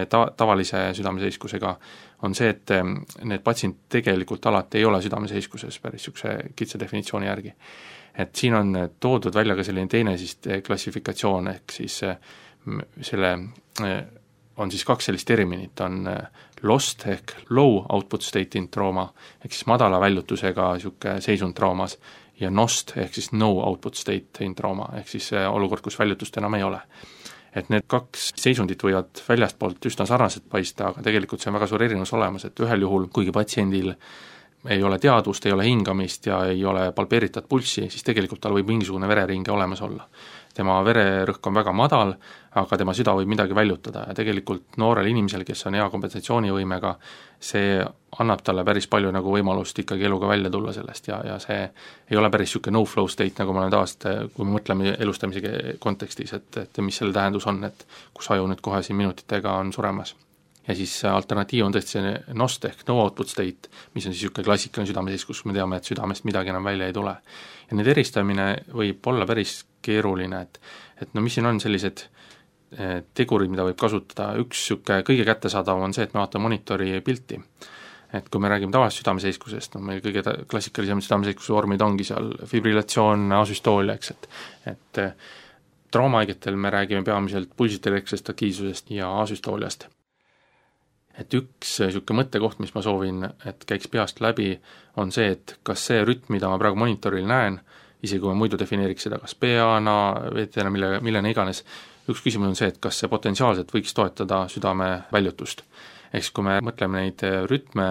ta-, tavalise südameseiskusega, on see, et need patsient tegelikult alati ei ole südameseiskuses päris niisuguse kitsa definitsiooni järgi. Et siin on toodud välja ka selline teine siis klassifikatsioon, ehk siis selle on siis kaks sellist terminit, on lost ehk low output state in trauma, ehk siis madala väljutusega niisugune seisund traumas, ja nost ehk siis no output state in trauma, ehk siis olukord, kus väljutust enam ei ole. Et need kaks seisundit võivad väljastpoolt üsna sarnaselt paista, aga tegelikult see on väga suur erinevus olemas, et ühel juhul, kuigi patsiendil ei ole teadvust, ei ole hingamist ja ei ole palpeeritat pulssi, siis tegelikult tal võib mingisugune vereringe olemas olla. Tema vererõhk on väga madal, aga tema süda võib midagi väljutada ja tegelikult noorel inimesel, kes on hea kompensatsioonivõimega, see annab talle päris palju nagu võimalust ikkagi eluga välja tulla sellest ja, ja see ei ole päris niisugune no-flow state, nagu me oleme tavaliselt, kui me mõtleme elustamise kontekstis, et, et mis selle tähendus on, et kus aju nüüd kohe siin minutitega on suremas. Ja siis alternatiiv on tõesti see nost ehk no output state, mis on siis niisugune klassikaline südameseiskus, kus me teame, et südamest midagi enam välja ei tule. Ja need eristamine võib olla päris keeruline, et, et no mis siin on sellised tegurid, mida võib kasutada, üks niisugune kõige kättesaadav on see, et me vaatame monitori pilti. Et kui me räägime tavalisest südameseiskusest, no meil kõige klassikalisem südameseiskusse vormid ongi seal fibrillatsioon, asüstoolia, eks, et, et traumahaigetel me räägime peamiselt pulsite elektrilisest aktiivsusest ja asüstooliast. Et üks niisugune mõttekoht, mis ma soovin, et käiks peast läbi, on see, et kas see rütm, mida ma praegu monitoril näen, isegi kui ma muidu defineeriks seda kas P A-na, V T-na, mille, millena iganes, üks küsimus on see, et kas see potentsiaalselt võiks toetada südame väljutust. Ehk kui me mõtleme neid rütme,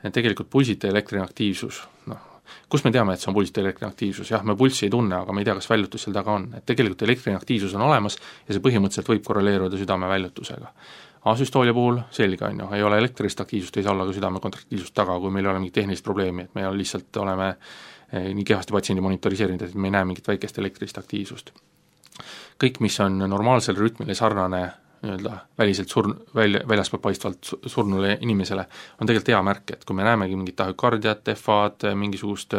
tegelikult pulsite elektriline aktiivsus, noh, kus me teame, et see on pulsite elektriline aktiivsus, jah, me pulssi ei tunne, aga me ei tea, kas väljutus seal taga on, et tegelikult elektriline aktiivsus on olemas ja see põhimõtteliselt võib korreleeruda südame väljutusega. Asüstoolia puhul selge on ju, ei ole elektrilist aktiivsust, ei saa olla ka südame kontraktiivsust taga, kui meil ei ole mingit tehnilist probleemi, et me lihtsalt oleme nii kehvasti patsiendi monitoriseerinud, et me ei näe mingit väikest elektrilist aktiivsust. Kõik, mis on normaalsel rütmile sarnane nii-öelda väliselt surn-, välja, väljaspoolt paistvalt surnule inimesele, on tegelikult hea märk, et kui me näemegi mingit tahükardiat, F A-d, mingisugust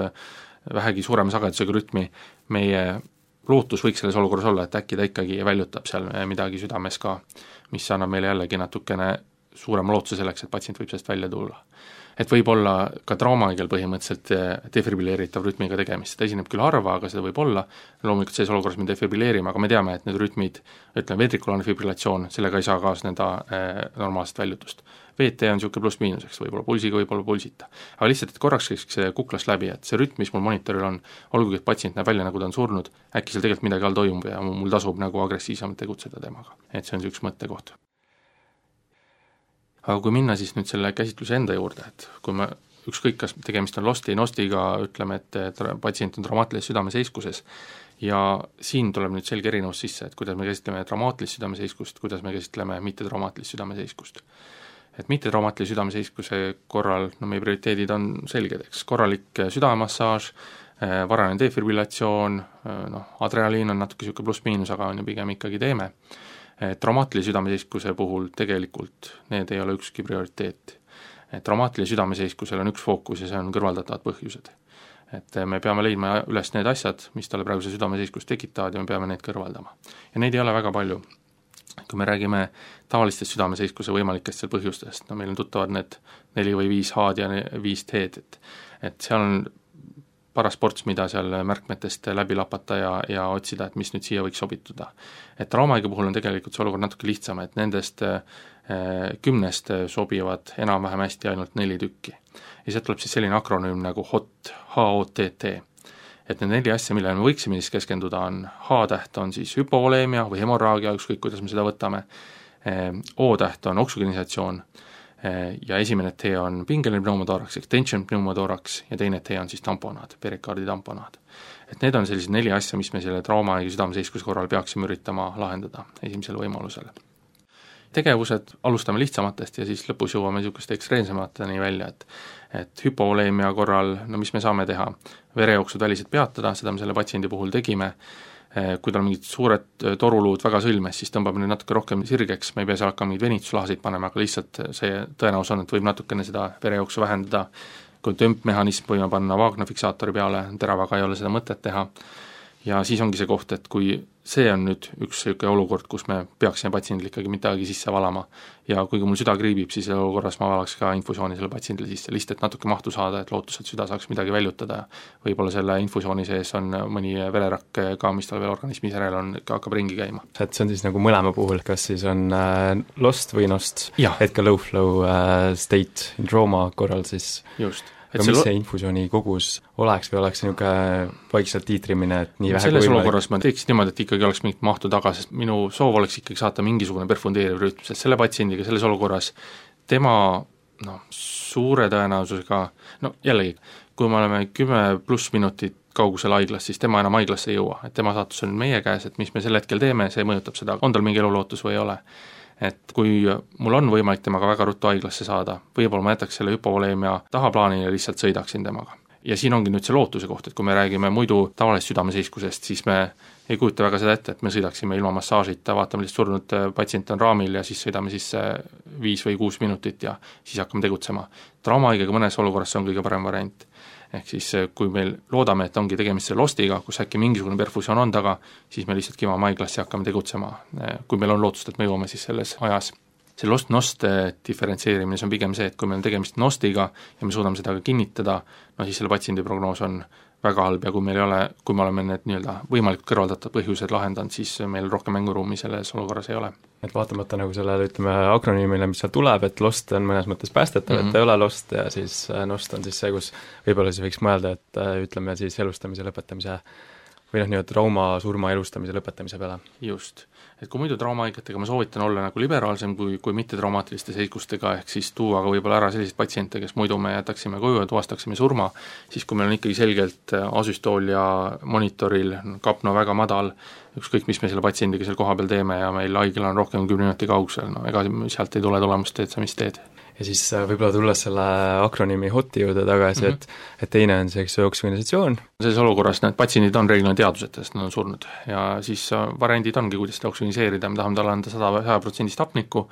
vähegi suurema sagedusega rütmi, meie lootus võiks selles olukorras olla, et äkki ta ikkagi väljutab seal midagi südames ka, mis annab meile jällegi natukene suurema lootuse selleks, et patsient võib sellest välja tulla. Et võib olla ka traumahaigel põhimõtteliselt defibrilleeritav rütmiga tegemist, seda esineb küll harva, aga seda võib olla, loomulikult selles olukorras me defibrilleerime, aga me teame, et need rütmid, ütleme ventrikulaarne fibrillatsioon, sellega ei saa kaasneda eh, normaalset väljutust. V T on niisugune pluss-miinuseks, võib-olla pulsiga, võib-olla pulsita. Aga lihtsalt, et korraks käiks see kuklast läbi, et see rütm, mis mul monitoril on, olgugi, et patsient näeb välja, nagu ta on surnud, äkki seal tegelikult midagi all toimub ja mul tasub nagu agressiivsemalt tegutseda temaga. Et see on üks mõttekoht. Aga kui minna siis nüüd selle käsitluse enda juurde, et kui me ükskõik, kas tegemist on losti, nostiga, ütleme, et patsient on traumaatilises südameseiskuses ja siin tuleb nüüd selge erinevus sisse, et kuidas me käsitleme traumaatilist südameseiskust, kuidas me käsitleme mittetraumaatilist südameseiskust. Et mittetraumaatilise südameseiskuse korral, no meie prioriteedid on selged, eks, korralik südamemassaaž, varane defibrillatsioon, noh, adrenaliin on natuke niisugune pluss-miinus, aga on ju pigem ikkagi teeme. Traumaatilise südameseiskuse puhul tegelikult need ei ole ükski prioriteet. Traumaatilise südameseiskusel on üks fookus ja see on kõrvaldatavad põhjused. Et me peame leidma üles need asjad, mis talle praegu see südameseiskust tekitavad ja me peame need kõrvaldama. Ja neid ei ole väga palju. Kui me räägime tavalistest südameseiskuse võimalikest seal põhjustest, no meil on tuttavad need neli või viis H-d ja viis T-d, et, et seal on paras ports, mida seal märkmetest läbi lapata ja, ja otsida, et mis nüüd siia võiks sobituda. et traumahaige puhul on tegelikult see olukord natuke lihtsam, et nendest äh, kümnest sobivad enam-vähem hästi ainult neli tükki. ja sealt tuleb siis selline akronüüm nagu H O T, H O T T. et need neli asja, millele me võiksime siis keskenduda, on H-täht on siis hüpovoleemia või hemorraagia, ükskõik kuidas me seda võtame, O-täht on oksügenisatsioon ja esimene T on pingeline pneumotoraks ehk tension pneumotoraks ja teine T on siis tamponaad, perikaardi tamponaad. et need on sellised neli asja, mis me selle traumahaige südameseiskuse korral peaksime üritama lahendada esimesel võimalusel. Tegevused alustame lihtsamatest ja siis lõpus jõuame niisuguste ekstreemsemateni välja, et et hüpovoleemia korral, no mis me saame teha, verejooksud väliselt peatada, seda me selle patsiendi puhul tegime, kui tal on mingid suured toruluud väga sõlmes, siis tõmbame nüüd natuke rohkem sirgeks, me ei pea seal hakkama mingeid venituslahasid panema, aga lihtsalt see tõenäosus on, et võib natukene seda verejooksu vähendada, kui tömpmehhanism võime panna Wagner fiksaatori peale, teravaga ei ole seda mõtet teha, ja siis ongi see koht, et kui see on nüüd üks selline olukord, kus me peaksime patsiendile ikkagi midagi sisse valama ja kuigi mul süda kriibib, siis olukorras ma valaks ka infusiooni selle patsiendile sisse, lihtsalt et natuke mahtu saada, et lootus, et süda saaks midagi väljutada ja võib-olla selle infusiooni sees on mõni vererakk ka, mis tal veel organismis järel on, hakkab ringi käima. Et see on siis nagu mõlema puhul, kas siis on äh, lost või nost, et ka low flow äh, state in trauma korral siis just. aga mis see infusiooni kogus oleks või oleks niisugune vaikselt tiitrimine, et nii vähe selles olukorras ma teeksin niimoodi, et ikkagi oleks mingit mahtu taga, sest minu soov oleks ikkagi saata mingisugune perfundeeriv rütm, sest selle patsiendiga selles olukorras tema noh, suure tõenäosusega, no jällegi, kui me oleme kümme pluss minutit kaugusel haiglas, siis tema enam haiglasse ei jõua, et tema saatus on meie käes, et mis me sel hetkel teeme, see mõjutab seda, on tal mingi elulootus või ei ole. et kui mul on võimalik temaga väga ruttu haiglasse saada, võib-olla ma jätaks selle hüpovoleemia tahaplaanile ja lihtsalt sõidaksin temaga. Ja siin ongi nüüd see lootuse koht, et kui me räägime muidu tavalisest südameseiskusest, siis me ei kujuta väga seda ette, et me sõidaksime ilma massaažita, vaatame lihtsalt surnud patsient on raamil ja siis sõidame sisse viis või kuus minutit ja siis hakkame tegutsema. Traumahaigega mõnes olukorras see on kõige parem variant. Ehk siis kui meil loodame, et ongi tegemist selle lostiga, kus äkki mingisugune perfusioon on taga, siis me lihtsalt kimame haiglasse ja hakkame tegutsema, kui meil on lootust, et me jõuame siis selles ajas. See lost-nost diferentseerimine, see on pigem see, et kui meil on tegemist nostiga ja me suudame seda ka kinnitada, no siis selle patsiendi prognoos on väga halb ja kui meil ei ole, kui me oleme need nii-öelda võimalikult kõrvaldatud põhjused lahendanud, siis meil rohkem mänguruumi selles olukorras ei ole. Et vaatamata nagu sellele, ütleme, akronüümile, mis seal tuleb, et lost on mõnes mõttes päästetav mm, -hmm. et ta ei ole lost ja siis nost on siis see, kus võib-olla siis võiks mõelda, et ütleme siis elustamise lõpetamise või noh, nii-öelda trauma, surma elustamise lõpetamise peale. Just. Et kui muidu traumahaigetega ma soovitan olla nagu liberaalsem kui, kui mitte traumaatiliste seikustega, ehk siis tuua ka võib-olla ära selliseid patsiente, kes muidu me jätaksime koju ja tuvastaksime surma, siis kui meil on ikkagi selgelt asüstool ja monitoril kapno väga madal, ükskõik mis me selle patsiendiga seal koha peal teeme ja meil haigel on rohkem kümne minuti kaugusel, no ega sealt ei tule tulemust, teed sa mis teed. Ja siis võib-olla tulles selle akronüümi H O T-i juurde tagasi mm, -hmm. et, et teine on see, eks ju, oksügenisatsioon. Selles olukorras need patsiendid on reeglina teadvuseta, sest nad on surnud ja siis variandid ongi, kuidas seda oksügeniseerida, me tahame talle anda sada protsenti hapnikku,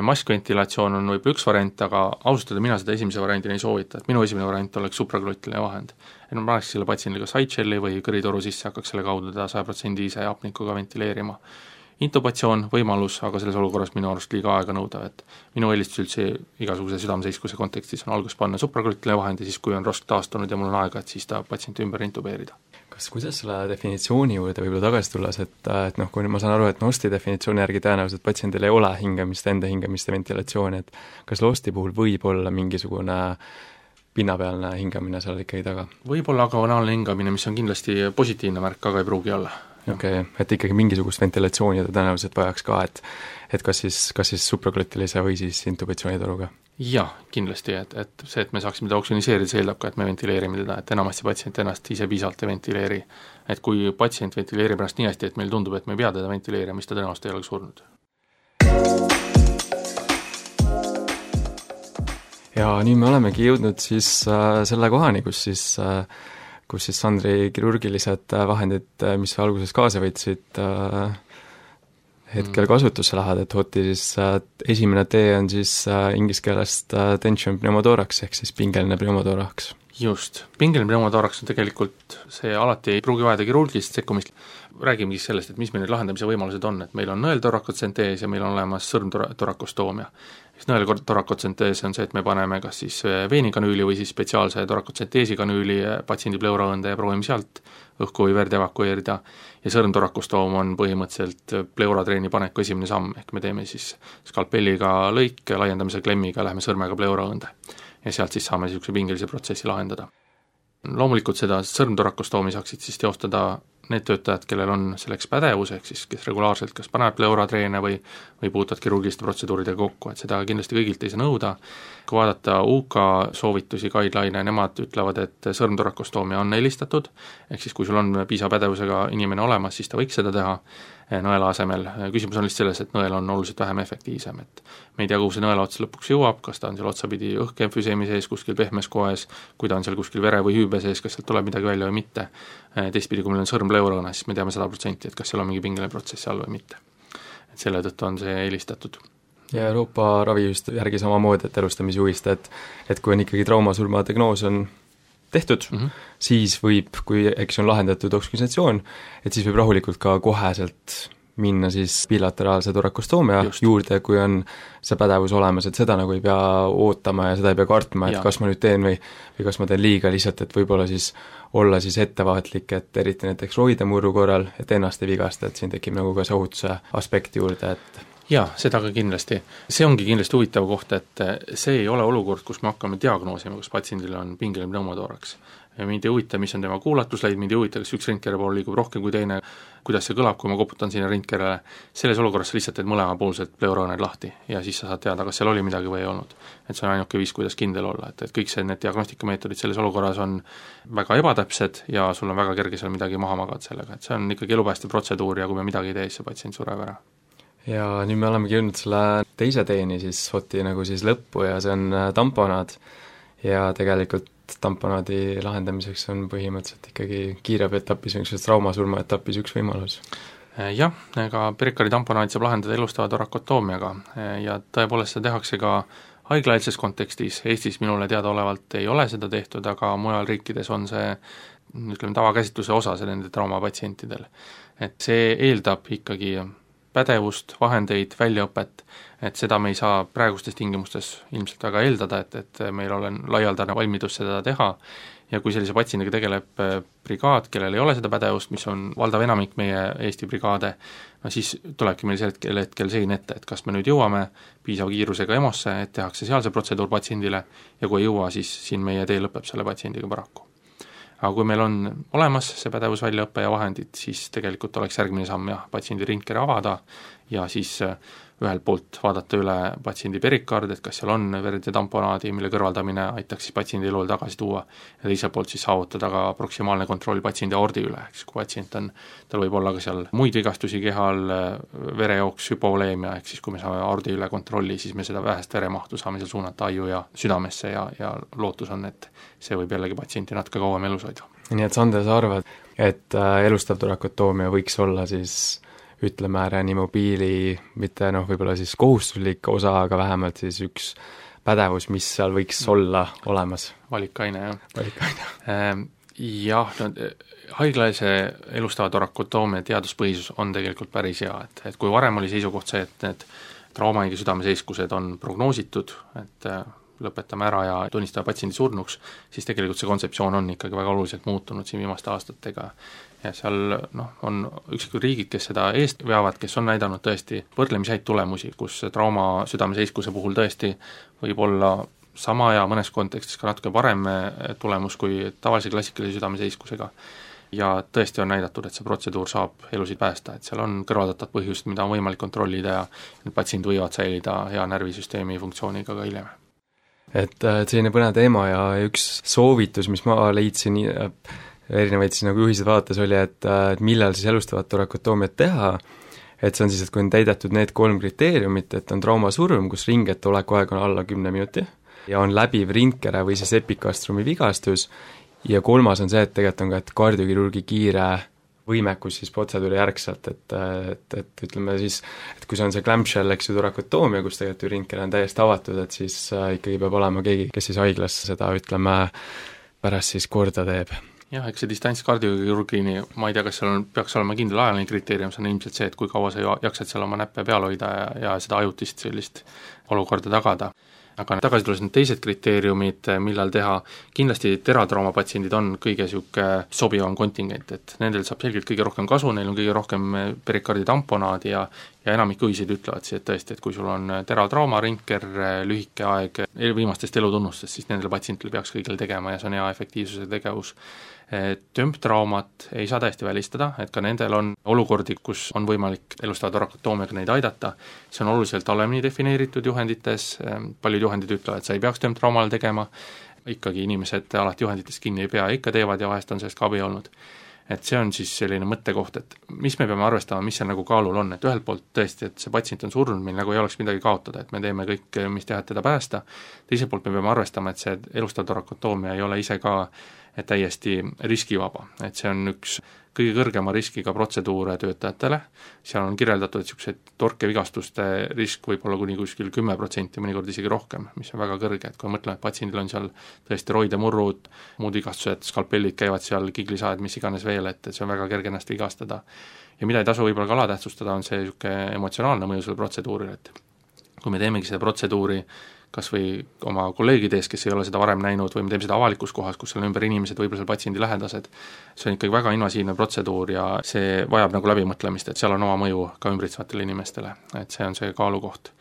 maskventilatsioon on võib-olla üks variant, aga austada mina seda esimese variandina ei soovita, et minu esimene variant oleks supraglottiline vahend. Et ma paneks selle patsiendile ka sideshelli või kõritoru sisse, hakkaks selle kaudu teda saja protsendi ise hapnikuga ventileerima. Intubatsioon, võimalus, aga selles olukorras minu arust liiga aega nõuda, et minu eelistus üldse igasuguse südameseiskuse kontekstis on algus panna supraglottiline vahend ja siis, kui on rask taastunud ja mul on aega, et siis ta patsienti ümber intubeerida. Kas kuidas selle definitsiooni juurde võib-olla tagasi tulles, et, et noh, kui ma saan aru, et nosti definitsiooni järgi tõenäoliselt patsiendil ei ole hingamist, enda hingamist ja ventilatsiooni, et kas losti puhul võib olla mingisugune pinnapealne hingamine seal ikkagi taga? Võib-olla agonaalne hingamine, mis on kindlasti positiivne märk, aga ei pruugi olla. okei okay,, et ikkagi mingisugust ventilatsiooni ta tõenäoliselt vajaks ka, et et kas siis, kas siis supraglottilise või siis intubatsioonitoruga? Jah, kindlasti, et, et see, et me saaksime teda oksügeniseerida, see eeldab ka, et me ventileerime teda, et enamasti patsient ennast ise piisavalt ei ventileeri. Et kui patsient ventileerib ennast nii hästi, et meil tundub, et me ei pea teda ventileerima, mis ta tõenäoliselt ei ole surnud. Ja nüüd me olemegi jõudnud siis äh, selle kohani, kus siis äh, kus siis Sandri kirurgilised vahendid, mis alguses kaasa võtsid, hetkel kasutusse lähevad, et H O T-i siis esimene T on siis inglise keelest tension pneumotoraks ehk siis pingeline pneumotoraks. Just, pingeline pneumotoraks on tegelikult, see alati ei pruugi vajada kirurgilist sekkumist, räägime siis sellest, et mis meil need lahendamise võimalused on, et meil on nõeltorakotsentees ja meil on olemas sõrmtorakostoomia. siis nõel torakotsentees on see, et me paneme kas siis veenikanüüli või siis spetsiaalse torakotsenteesikanüüli patsiendi pleuraõõnde ja proovime sealt õhku või verd evakueerida, ja sõrmtorakostoom on põhimõtteliselt pleuratreeni paneku esimene samm, ehk me teeme siis skalpelliga lõik, laiendamise klemmiga läheme sõrmega pleuraõõnde ja sealt siis saame niisuguse pingelise protsessi lahendada. Loomulikult seda sõrmtorakostoomi saaksid siis teostada need töötajad, kellel on selleks pädevus, ehk siis kes regulaarselt kas panevad pleuratreene või, või puutuvad kirurgiliste protseduuridega kokku, et seda kindlasti kõigilt ei saa nõuda. Kui vaadata U K soovitusi, guideline, nemad ütlevad, et sõrmtorakostoomia on eelistatud, ehk siis kui sul on piisava pädevusega inimene olemas, siis ta võiks seda teha nõela asemel. Küsimus on lihtsalt selles, et nõel on oluliselt vähem efektiivsem, et me ei tea, kuhu see nõela ots lõpuks jõuab, kas ta on seal otsapidi õhkemfüseemi sees, kuskil pehmes koes, kui ta on seal kuskil vere või hüübe sees, kas sealt tuleb midagi välja või mitte. Teistpidi, kui meil on sõrm pleuraõõne, siis me teame sada protsenti, et kas seal on mingi pingeline protsess all või mitte. Et selle tõttu on see eelistatud. Ja Euroopa ravijuhist järgi samamoodi, et elustamisjuhist, et, et kui on ikkagi traumasurma diagnoos on tehtud mm, -hmm. siis võib, kui eks on lahendatud oksügenatsioon, et siis võib rahulikult ka koheselt minna siis bilateraalse torakostoomia Just. juurde, kui on see pädevus olemas, et seda nagu ei pea ootama ja seda ei pea kartma, et ja. kas ma nüüd teen või, või kas ma teen liiga, lihtsalt et võib-olla siis olla siis ettevaatlik, et eriti näiteks roidemurru korral, et ennast ei vigasta, et siin tekib nagu ka see ohutuse aspekti juurde, et jaa, seda ka kindlasti. See ongi kindlasti huvitav koht, et see ei ole olukord, kus me hakkame diagnoosima, kus patsiendil on pingeline pneumotooraks. Mind ei huvita, mis on tema kuulatusleid, mind ei huvita, kas üks rindkere pool liigub rohkem kui teine, kuidas see kõlab, kui ma koputan sinna rindkerele. Selles olukorras lihtsalt teed mõlemapoolsed pleuraõõned lahti ja siis sa saad teada, kas seal oli midagi või ei olnud. Et see on ainuke viis, kuidas kindel olla, et, et kõik see, need diagnostikameetodid selles olukorras on väga ebatäpsed ja sul on väga kerge seal midagi maha magad sellega, et see on ikkagi elupäästev protseduur ja kui me midagi ei tee, see patsient sureb ära. Ja nüüd me olemegi jõudnud selle teise teeni siis Hoti nagu siis lõppu ja see on tamponaad ja tegelikult tamponaadi lahendamiseks on põhimõtteliselt ikkagi kiirabietapis või üks traumasurma etapis üks võimalus. Jah, ega perikari tamponaadi saab lahendada elustava torakotoomiaga ja tõepoolest seda tehakse ka haiglaeelses kontekstis. Eestis minule teadaolevalt ei ole seda tehtud, aga mujal riikides on see ütleme tavakäsitluse osa nende traumapatsientidel. Et see eeldab ikkagi pädevust, vahendeid, väljaõpet, et seda me ei saa praegustes tingimustes ilmselt väga eeldada, et, et meil on laialdane valmidus seda teha ja kui sellise patsiendiga tegeleb brigaad, kellel ei ole seda pädevust, mis on valdav enamik meie Eesti brigaade, no siis tulebki meil hetkel, hetkel sein ette, et kas me nüüd jõuame piisava kiirusega EMO-sse, et tehakse seal see protseduur patsiendile ja kui ei jõua, siis siin meie tee lõpeb selle patsiendiga paraku. Aga kui meil on olemas see pädevus väljaõppe ja vahendid, siis tegelikult oleks järgmine samm jah, patsiendi rindkere avada ja siis ühelt poolt vaadata üle patsiendi perikard, et kas seal on verd ja tamponaadi, mille kõrvaldamine aitaks siis patsiendi elule tagasi tuua ja teiselt poolt siis saavutada ka proksimaalne kontroll patsiendi aordi üle, eks kui patsient on, tal võib olla ka seal muid vigastusi kehal, verejooks, hüpovoleemia, ehk siis kui me saame aordi üle kontrolli, siis me seda vähest veremahtu saame seal suunata aiu ja südamesse ja, ja lootus on, et see võib jällegi patsienti natuke kauem elus hoida. Nii et Sander, sa arvad, et elustav torakotoomia võiks olla siis ütleme reanimobiili, mitte noh, võib-olla siis kohustuslik osa, aga vähemalt siis üks pädevus, mis seal võiks olla olemas. Valikaine, jah. Valikaine. Jah, no, haiglaise elustava torakotoomia teaduspõhisus on tegelikult päris hea, et, et kui varem oli seisukoht see, et need traumaiga südameseiskused on prognoositud, et lõpetame ära ja tunnistame patsiendi surnuks, siis tegelikult see kontseptsioon on ikkagi väga oluliselt muutunud siin viimaste aastatega. Ja seal noh, on üksikud riigid, kes seda eest veavad, kes on näidanud tõesti võrdlemisi häid tulemusi, kus trauma südameseiskuse puhul tõesti võib olla sama ja mõnes kontekstis ka natuke parem tulemus kui tavalise klassikalise südameseiskusega. Ja tõesti on näidatud, et see protseduur saab elusid päästa, et seal on kõrvaldatud põhjused, mida on võimalik kontrollida ja need patsiendid võivad säilida hea närvisüsteemi funktsiooniga ka hiljem. Et, et selline põnev teema ja üks soovitus, mis ma leidsin erinevaid siis nagu juhised vaadates oli, et, et millal siis elustavat torakotoomiat teha, et see on siis, et kui on täidetud need kolm kriteeriumit, et on traumasurm, kus ringete olekuaeg on alla kümne minuti ja on läbiv rindkere või siis epikastrumi vigastus ja kolmas on see, et tegelikult on ka, et kardiokirurgi kiire võimekus siis protseduuri järgselt, et, et, et ütleme siis, et kui see on see clamshell, eks ju, torakotoomia, kus tegelikult ju rindkere on täiesti avatud, et siis ikkagi peab olema keegi, kes siis haiglas seda, ütleme, pärast siis korda teeb. jah, eks see distantskardiokrüürgini, ma ei tea, kas seal on, peaks olema kindel ajaline kriteerium, see on ilmselt see, et kui kaua sa jaksad seal oma näppe peal hoida ja, ja seda ajutist sellist olukorda tagada. Aga tagasi tulles need teised kriteeriumid, millal teha, kindlasti teratrauma patsiendid on kõige sihuke sobivam kontingent, et nendel saab selgelt kõige rohkem kasu, neil on kõige rohkem perikarditamponaad ja ja enamik õisid ütlevad siis, et tõesti, et kui sul on teratrauma, rinker, lühike aeg viimastest elutunnustest, siis nendel patsientidel peaks kõigil tegema ja see on hea efektiivsuse tegevus. Tömptraumat ei saa täiesti välistada, et ka nendel on olukordi, kus on võimalik elustava torakotoomiaga neid aidata, see on oluliselt halvemini defineeritud juhendites, paljud juhendid ütlevad, et sa ei peaks tömptraumale tegema, ikkagi inimesed alati juhenditest kinni ei pea, ikka teevad ja vahest on sellest ka abi olnud. Et see on siis selline mõttekoht, et mis me peame arvestama, mis see nagu kaalul on, et ühelt poolt tõesti, et see patsient on surnud, meil nagu ei oleks midagi kaotada, et me teeme kõik, mis teha, et teda päästa, teiselt poolt me peame arvestama, et see elustav torakotoomia ei ole ise ka täiesti riskivaba, et see on üks kõige kõrgema riskiga protseduure töötajatele, seal on kirjeldatud, et niisugused torkevigastuste risk võib olla kuni kuskil kümme protsenti, mõnikord isegi rohkem, mis on väga kõrge, et kui mõtleme, et patsiendil on seal tõesti roidemurrud, muud vigastused, skalpellid käivad seal, kiglisaed, mis iganes veel, et, et see on väga kerge ennast vigastada. Ja mida ei tasu võib-olla ka alatähtsustada, on see niisugune emotsionaalne mõju selle protseduurile, et kui me teemegi seda protseduuri kas või oma kolleegide ees, kes ei ole seda varem näinud, või me teeme seda avalikus kohas, kus on ümber inimesed, võib-olla seal patsiendi lähedased, see on ikkagi väga invasiivne protseduur ja see vajab nagu läbimõtlemist, et seal on oma mõju ka ümbritsevatele inimestele, et see on see kaalukoht.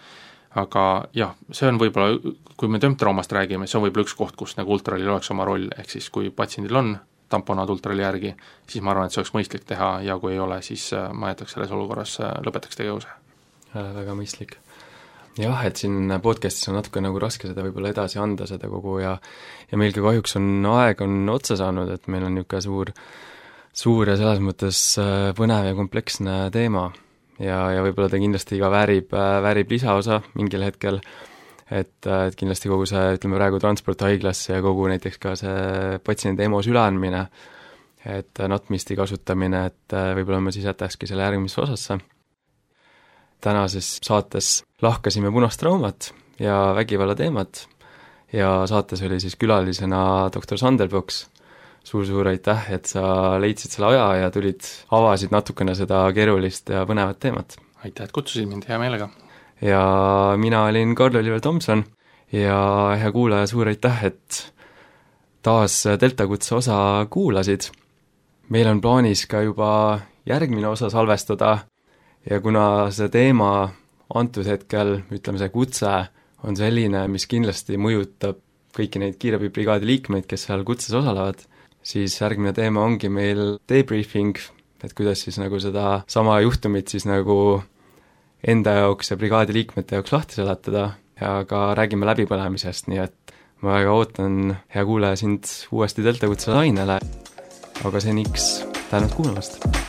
Aga jah, see on võib-olla, kui me tömptraumast räägime, see on võib-olla üks koht, kus nagu ultralil oleks oma roll, ehk siis kui patsiendil on tamponaad ultrali järgi, siis ma arvan, et see oleks mõistlik teha ja kui ei ole, siis ma jätaks selles olukorras, lõpetaks tegevuse. Väga mõistlik. Jah, et siin podcastis on natuke nagu raske seda võib-olla edasi anda, seda kogu ja ja meil ka kahjuks on aeg on otsa saanud, et meil on niisugune suur, suur ja selles mõttes põnev ja kompleksne teema ja, ja võib-olla ta kindlasti ka väärib, väärib lisaosa mingil hetkel, et, et kindlasti kogu see, ütleme praegu transport haiglasse ja kogu näiteks ka see patsiendi EMO süleandmine, et natmisti kasutamine, et võib-olla me siis jätakski selle järgmisse osasse. Tänases saates lahkasime punast traumat ja vägivalla teemat ja saates oli siis külalisena doktor Sander Poks. Suur-suur aitäh, et sa leidsid selle aja ja tulid, avasid natukene seda keerulist ja põnevat teemat. Aitäh, et kutsusid mind, hea meelega. Ja mina olin Karl-Oliver Tomson ja hea kuulaja, suur aitäh, et taas Delta kutse osa kuulasid. Meil on plaanis ka juba järgmine osa salvestada ja kuna see teema antud hetkel, ütleme see kutse, on selline, mis kindlasti mõjutab kõiki neid kiirabibrigaadi liikmeid, kes seal kutses osalevad, siis järgmine teema ongi meil debriefing, et kuidas siis nagu seda sama juhtumit siis nagu enda jaoks ja brigaadi liikmete jaoks lahti seletada ja ka räägime läbipõlemisest, nii et ma väga ootan, hea kuulaja, sind uuesti Delta kutse lainele, aga seniks tänud kuulamast!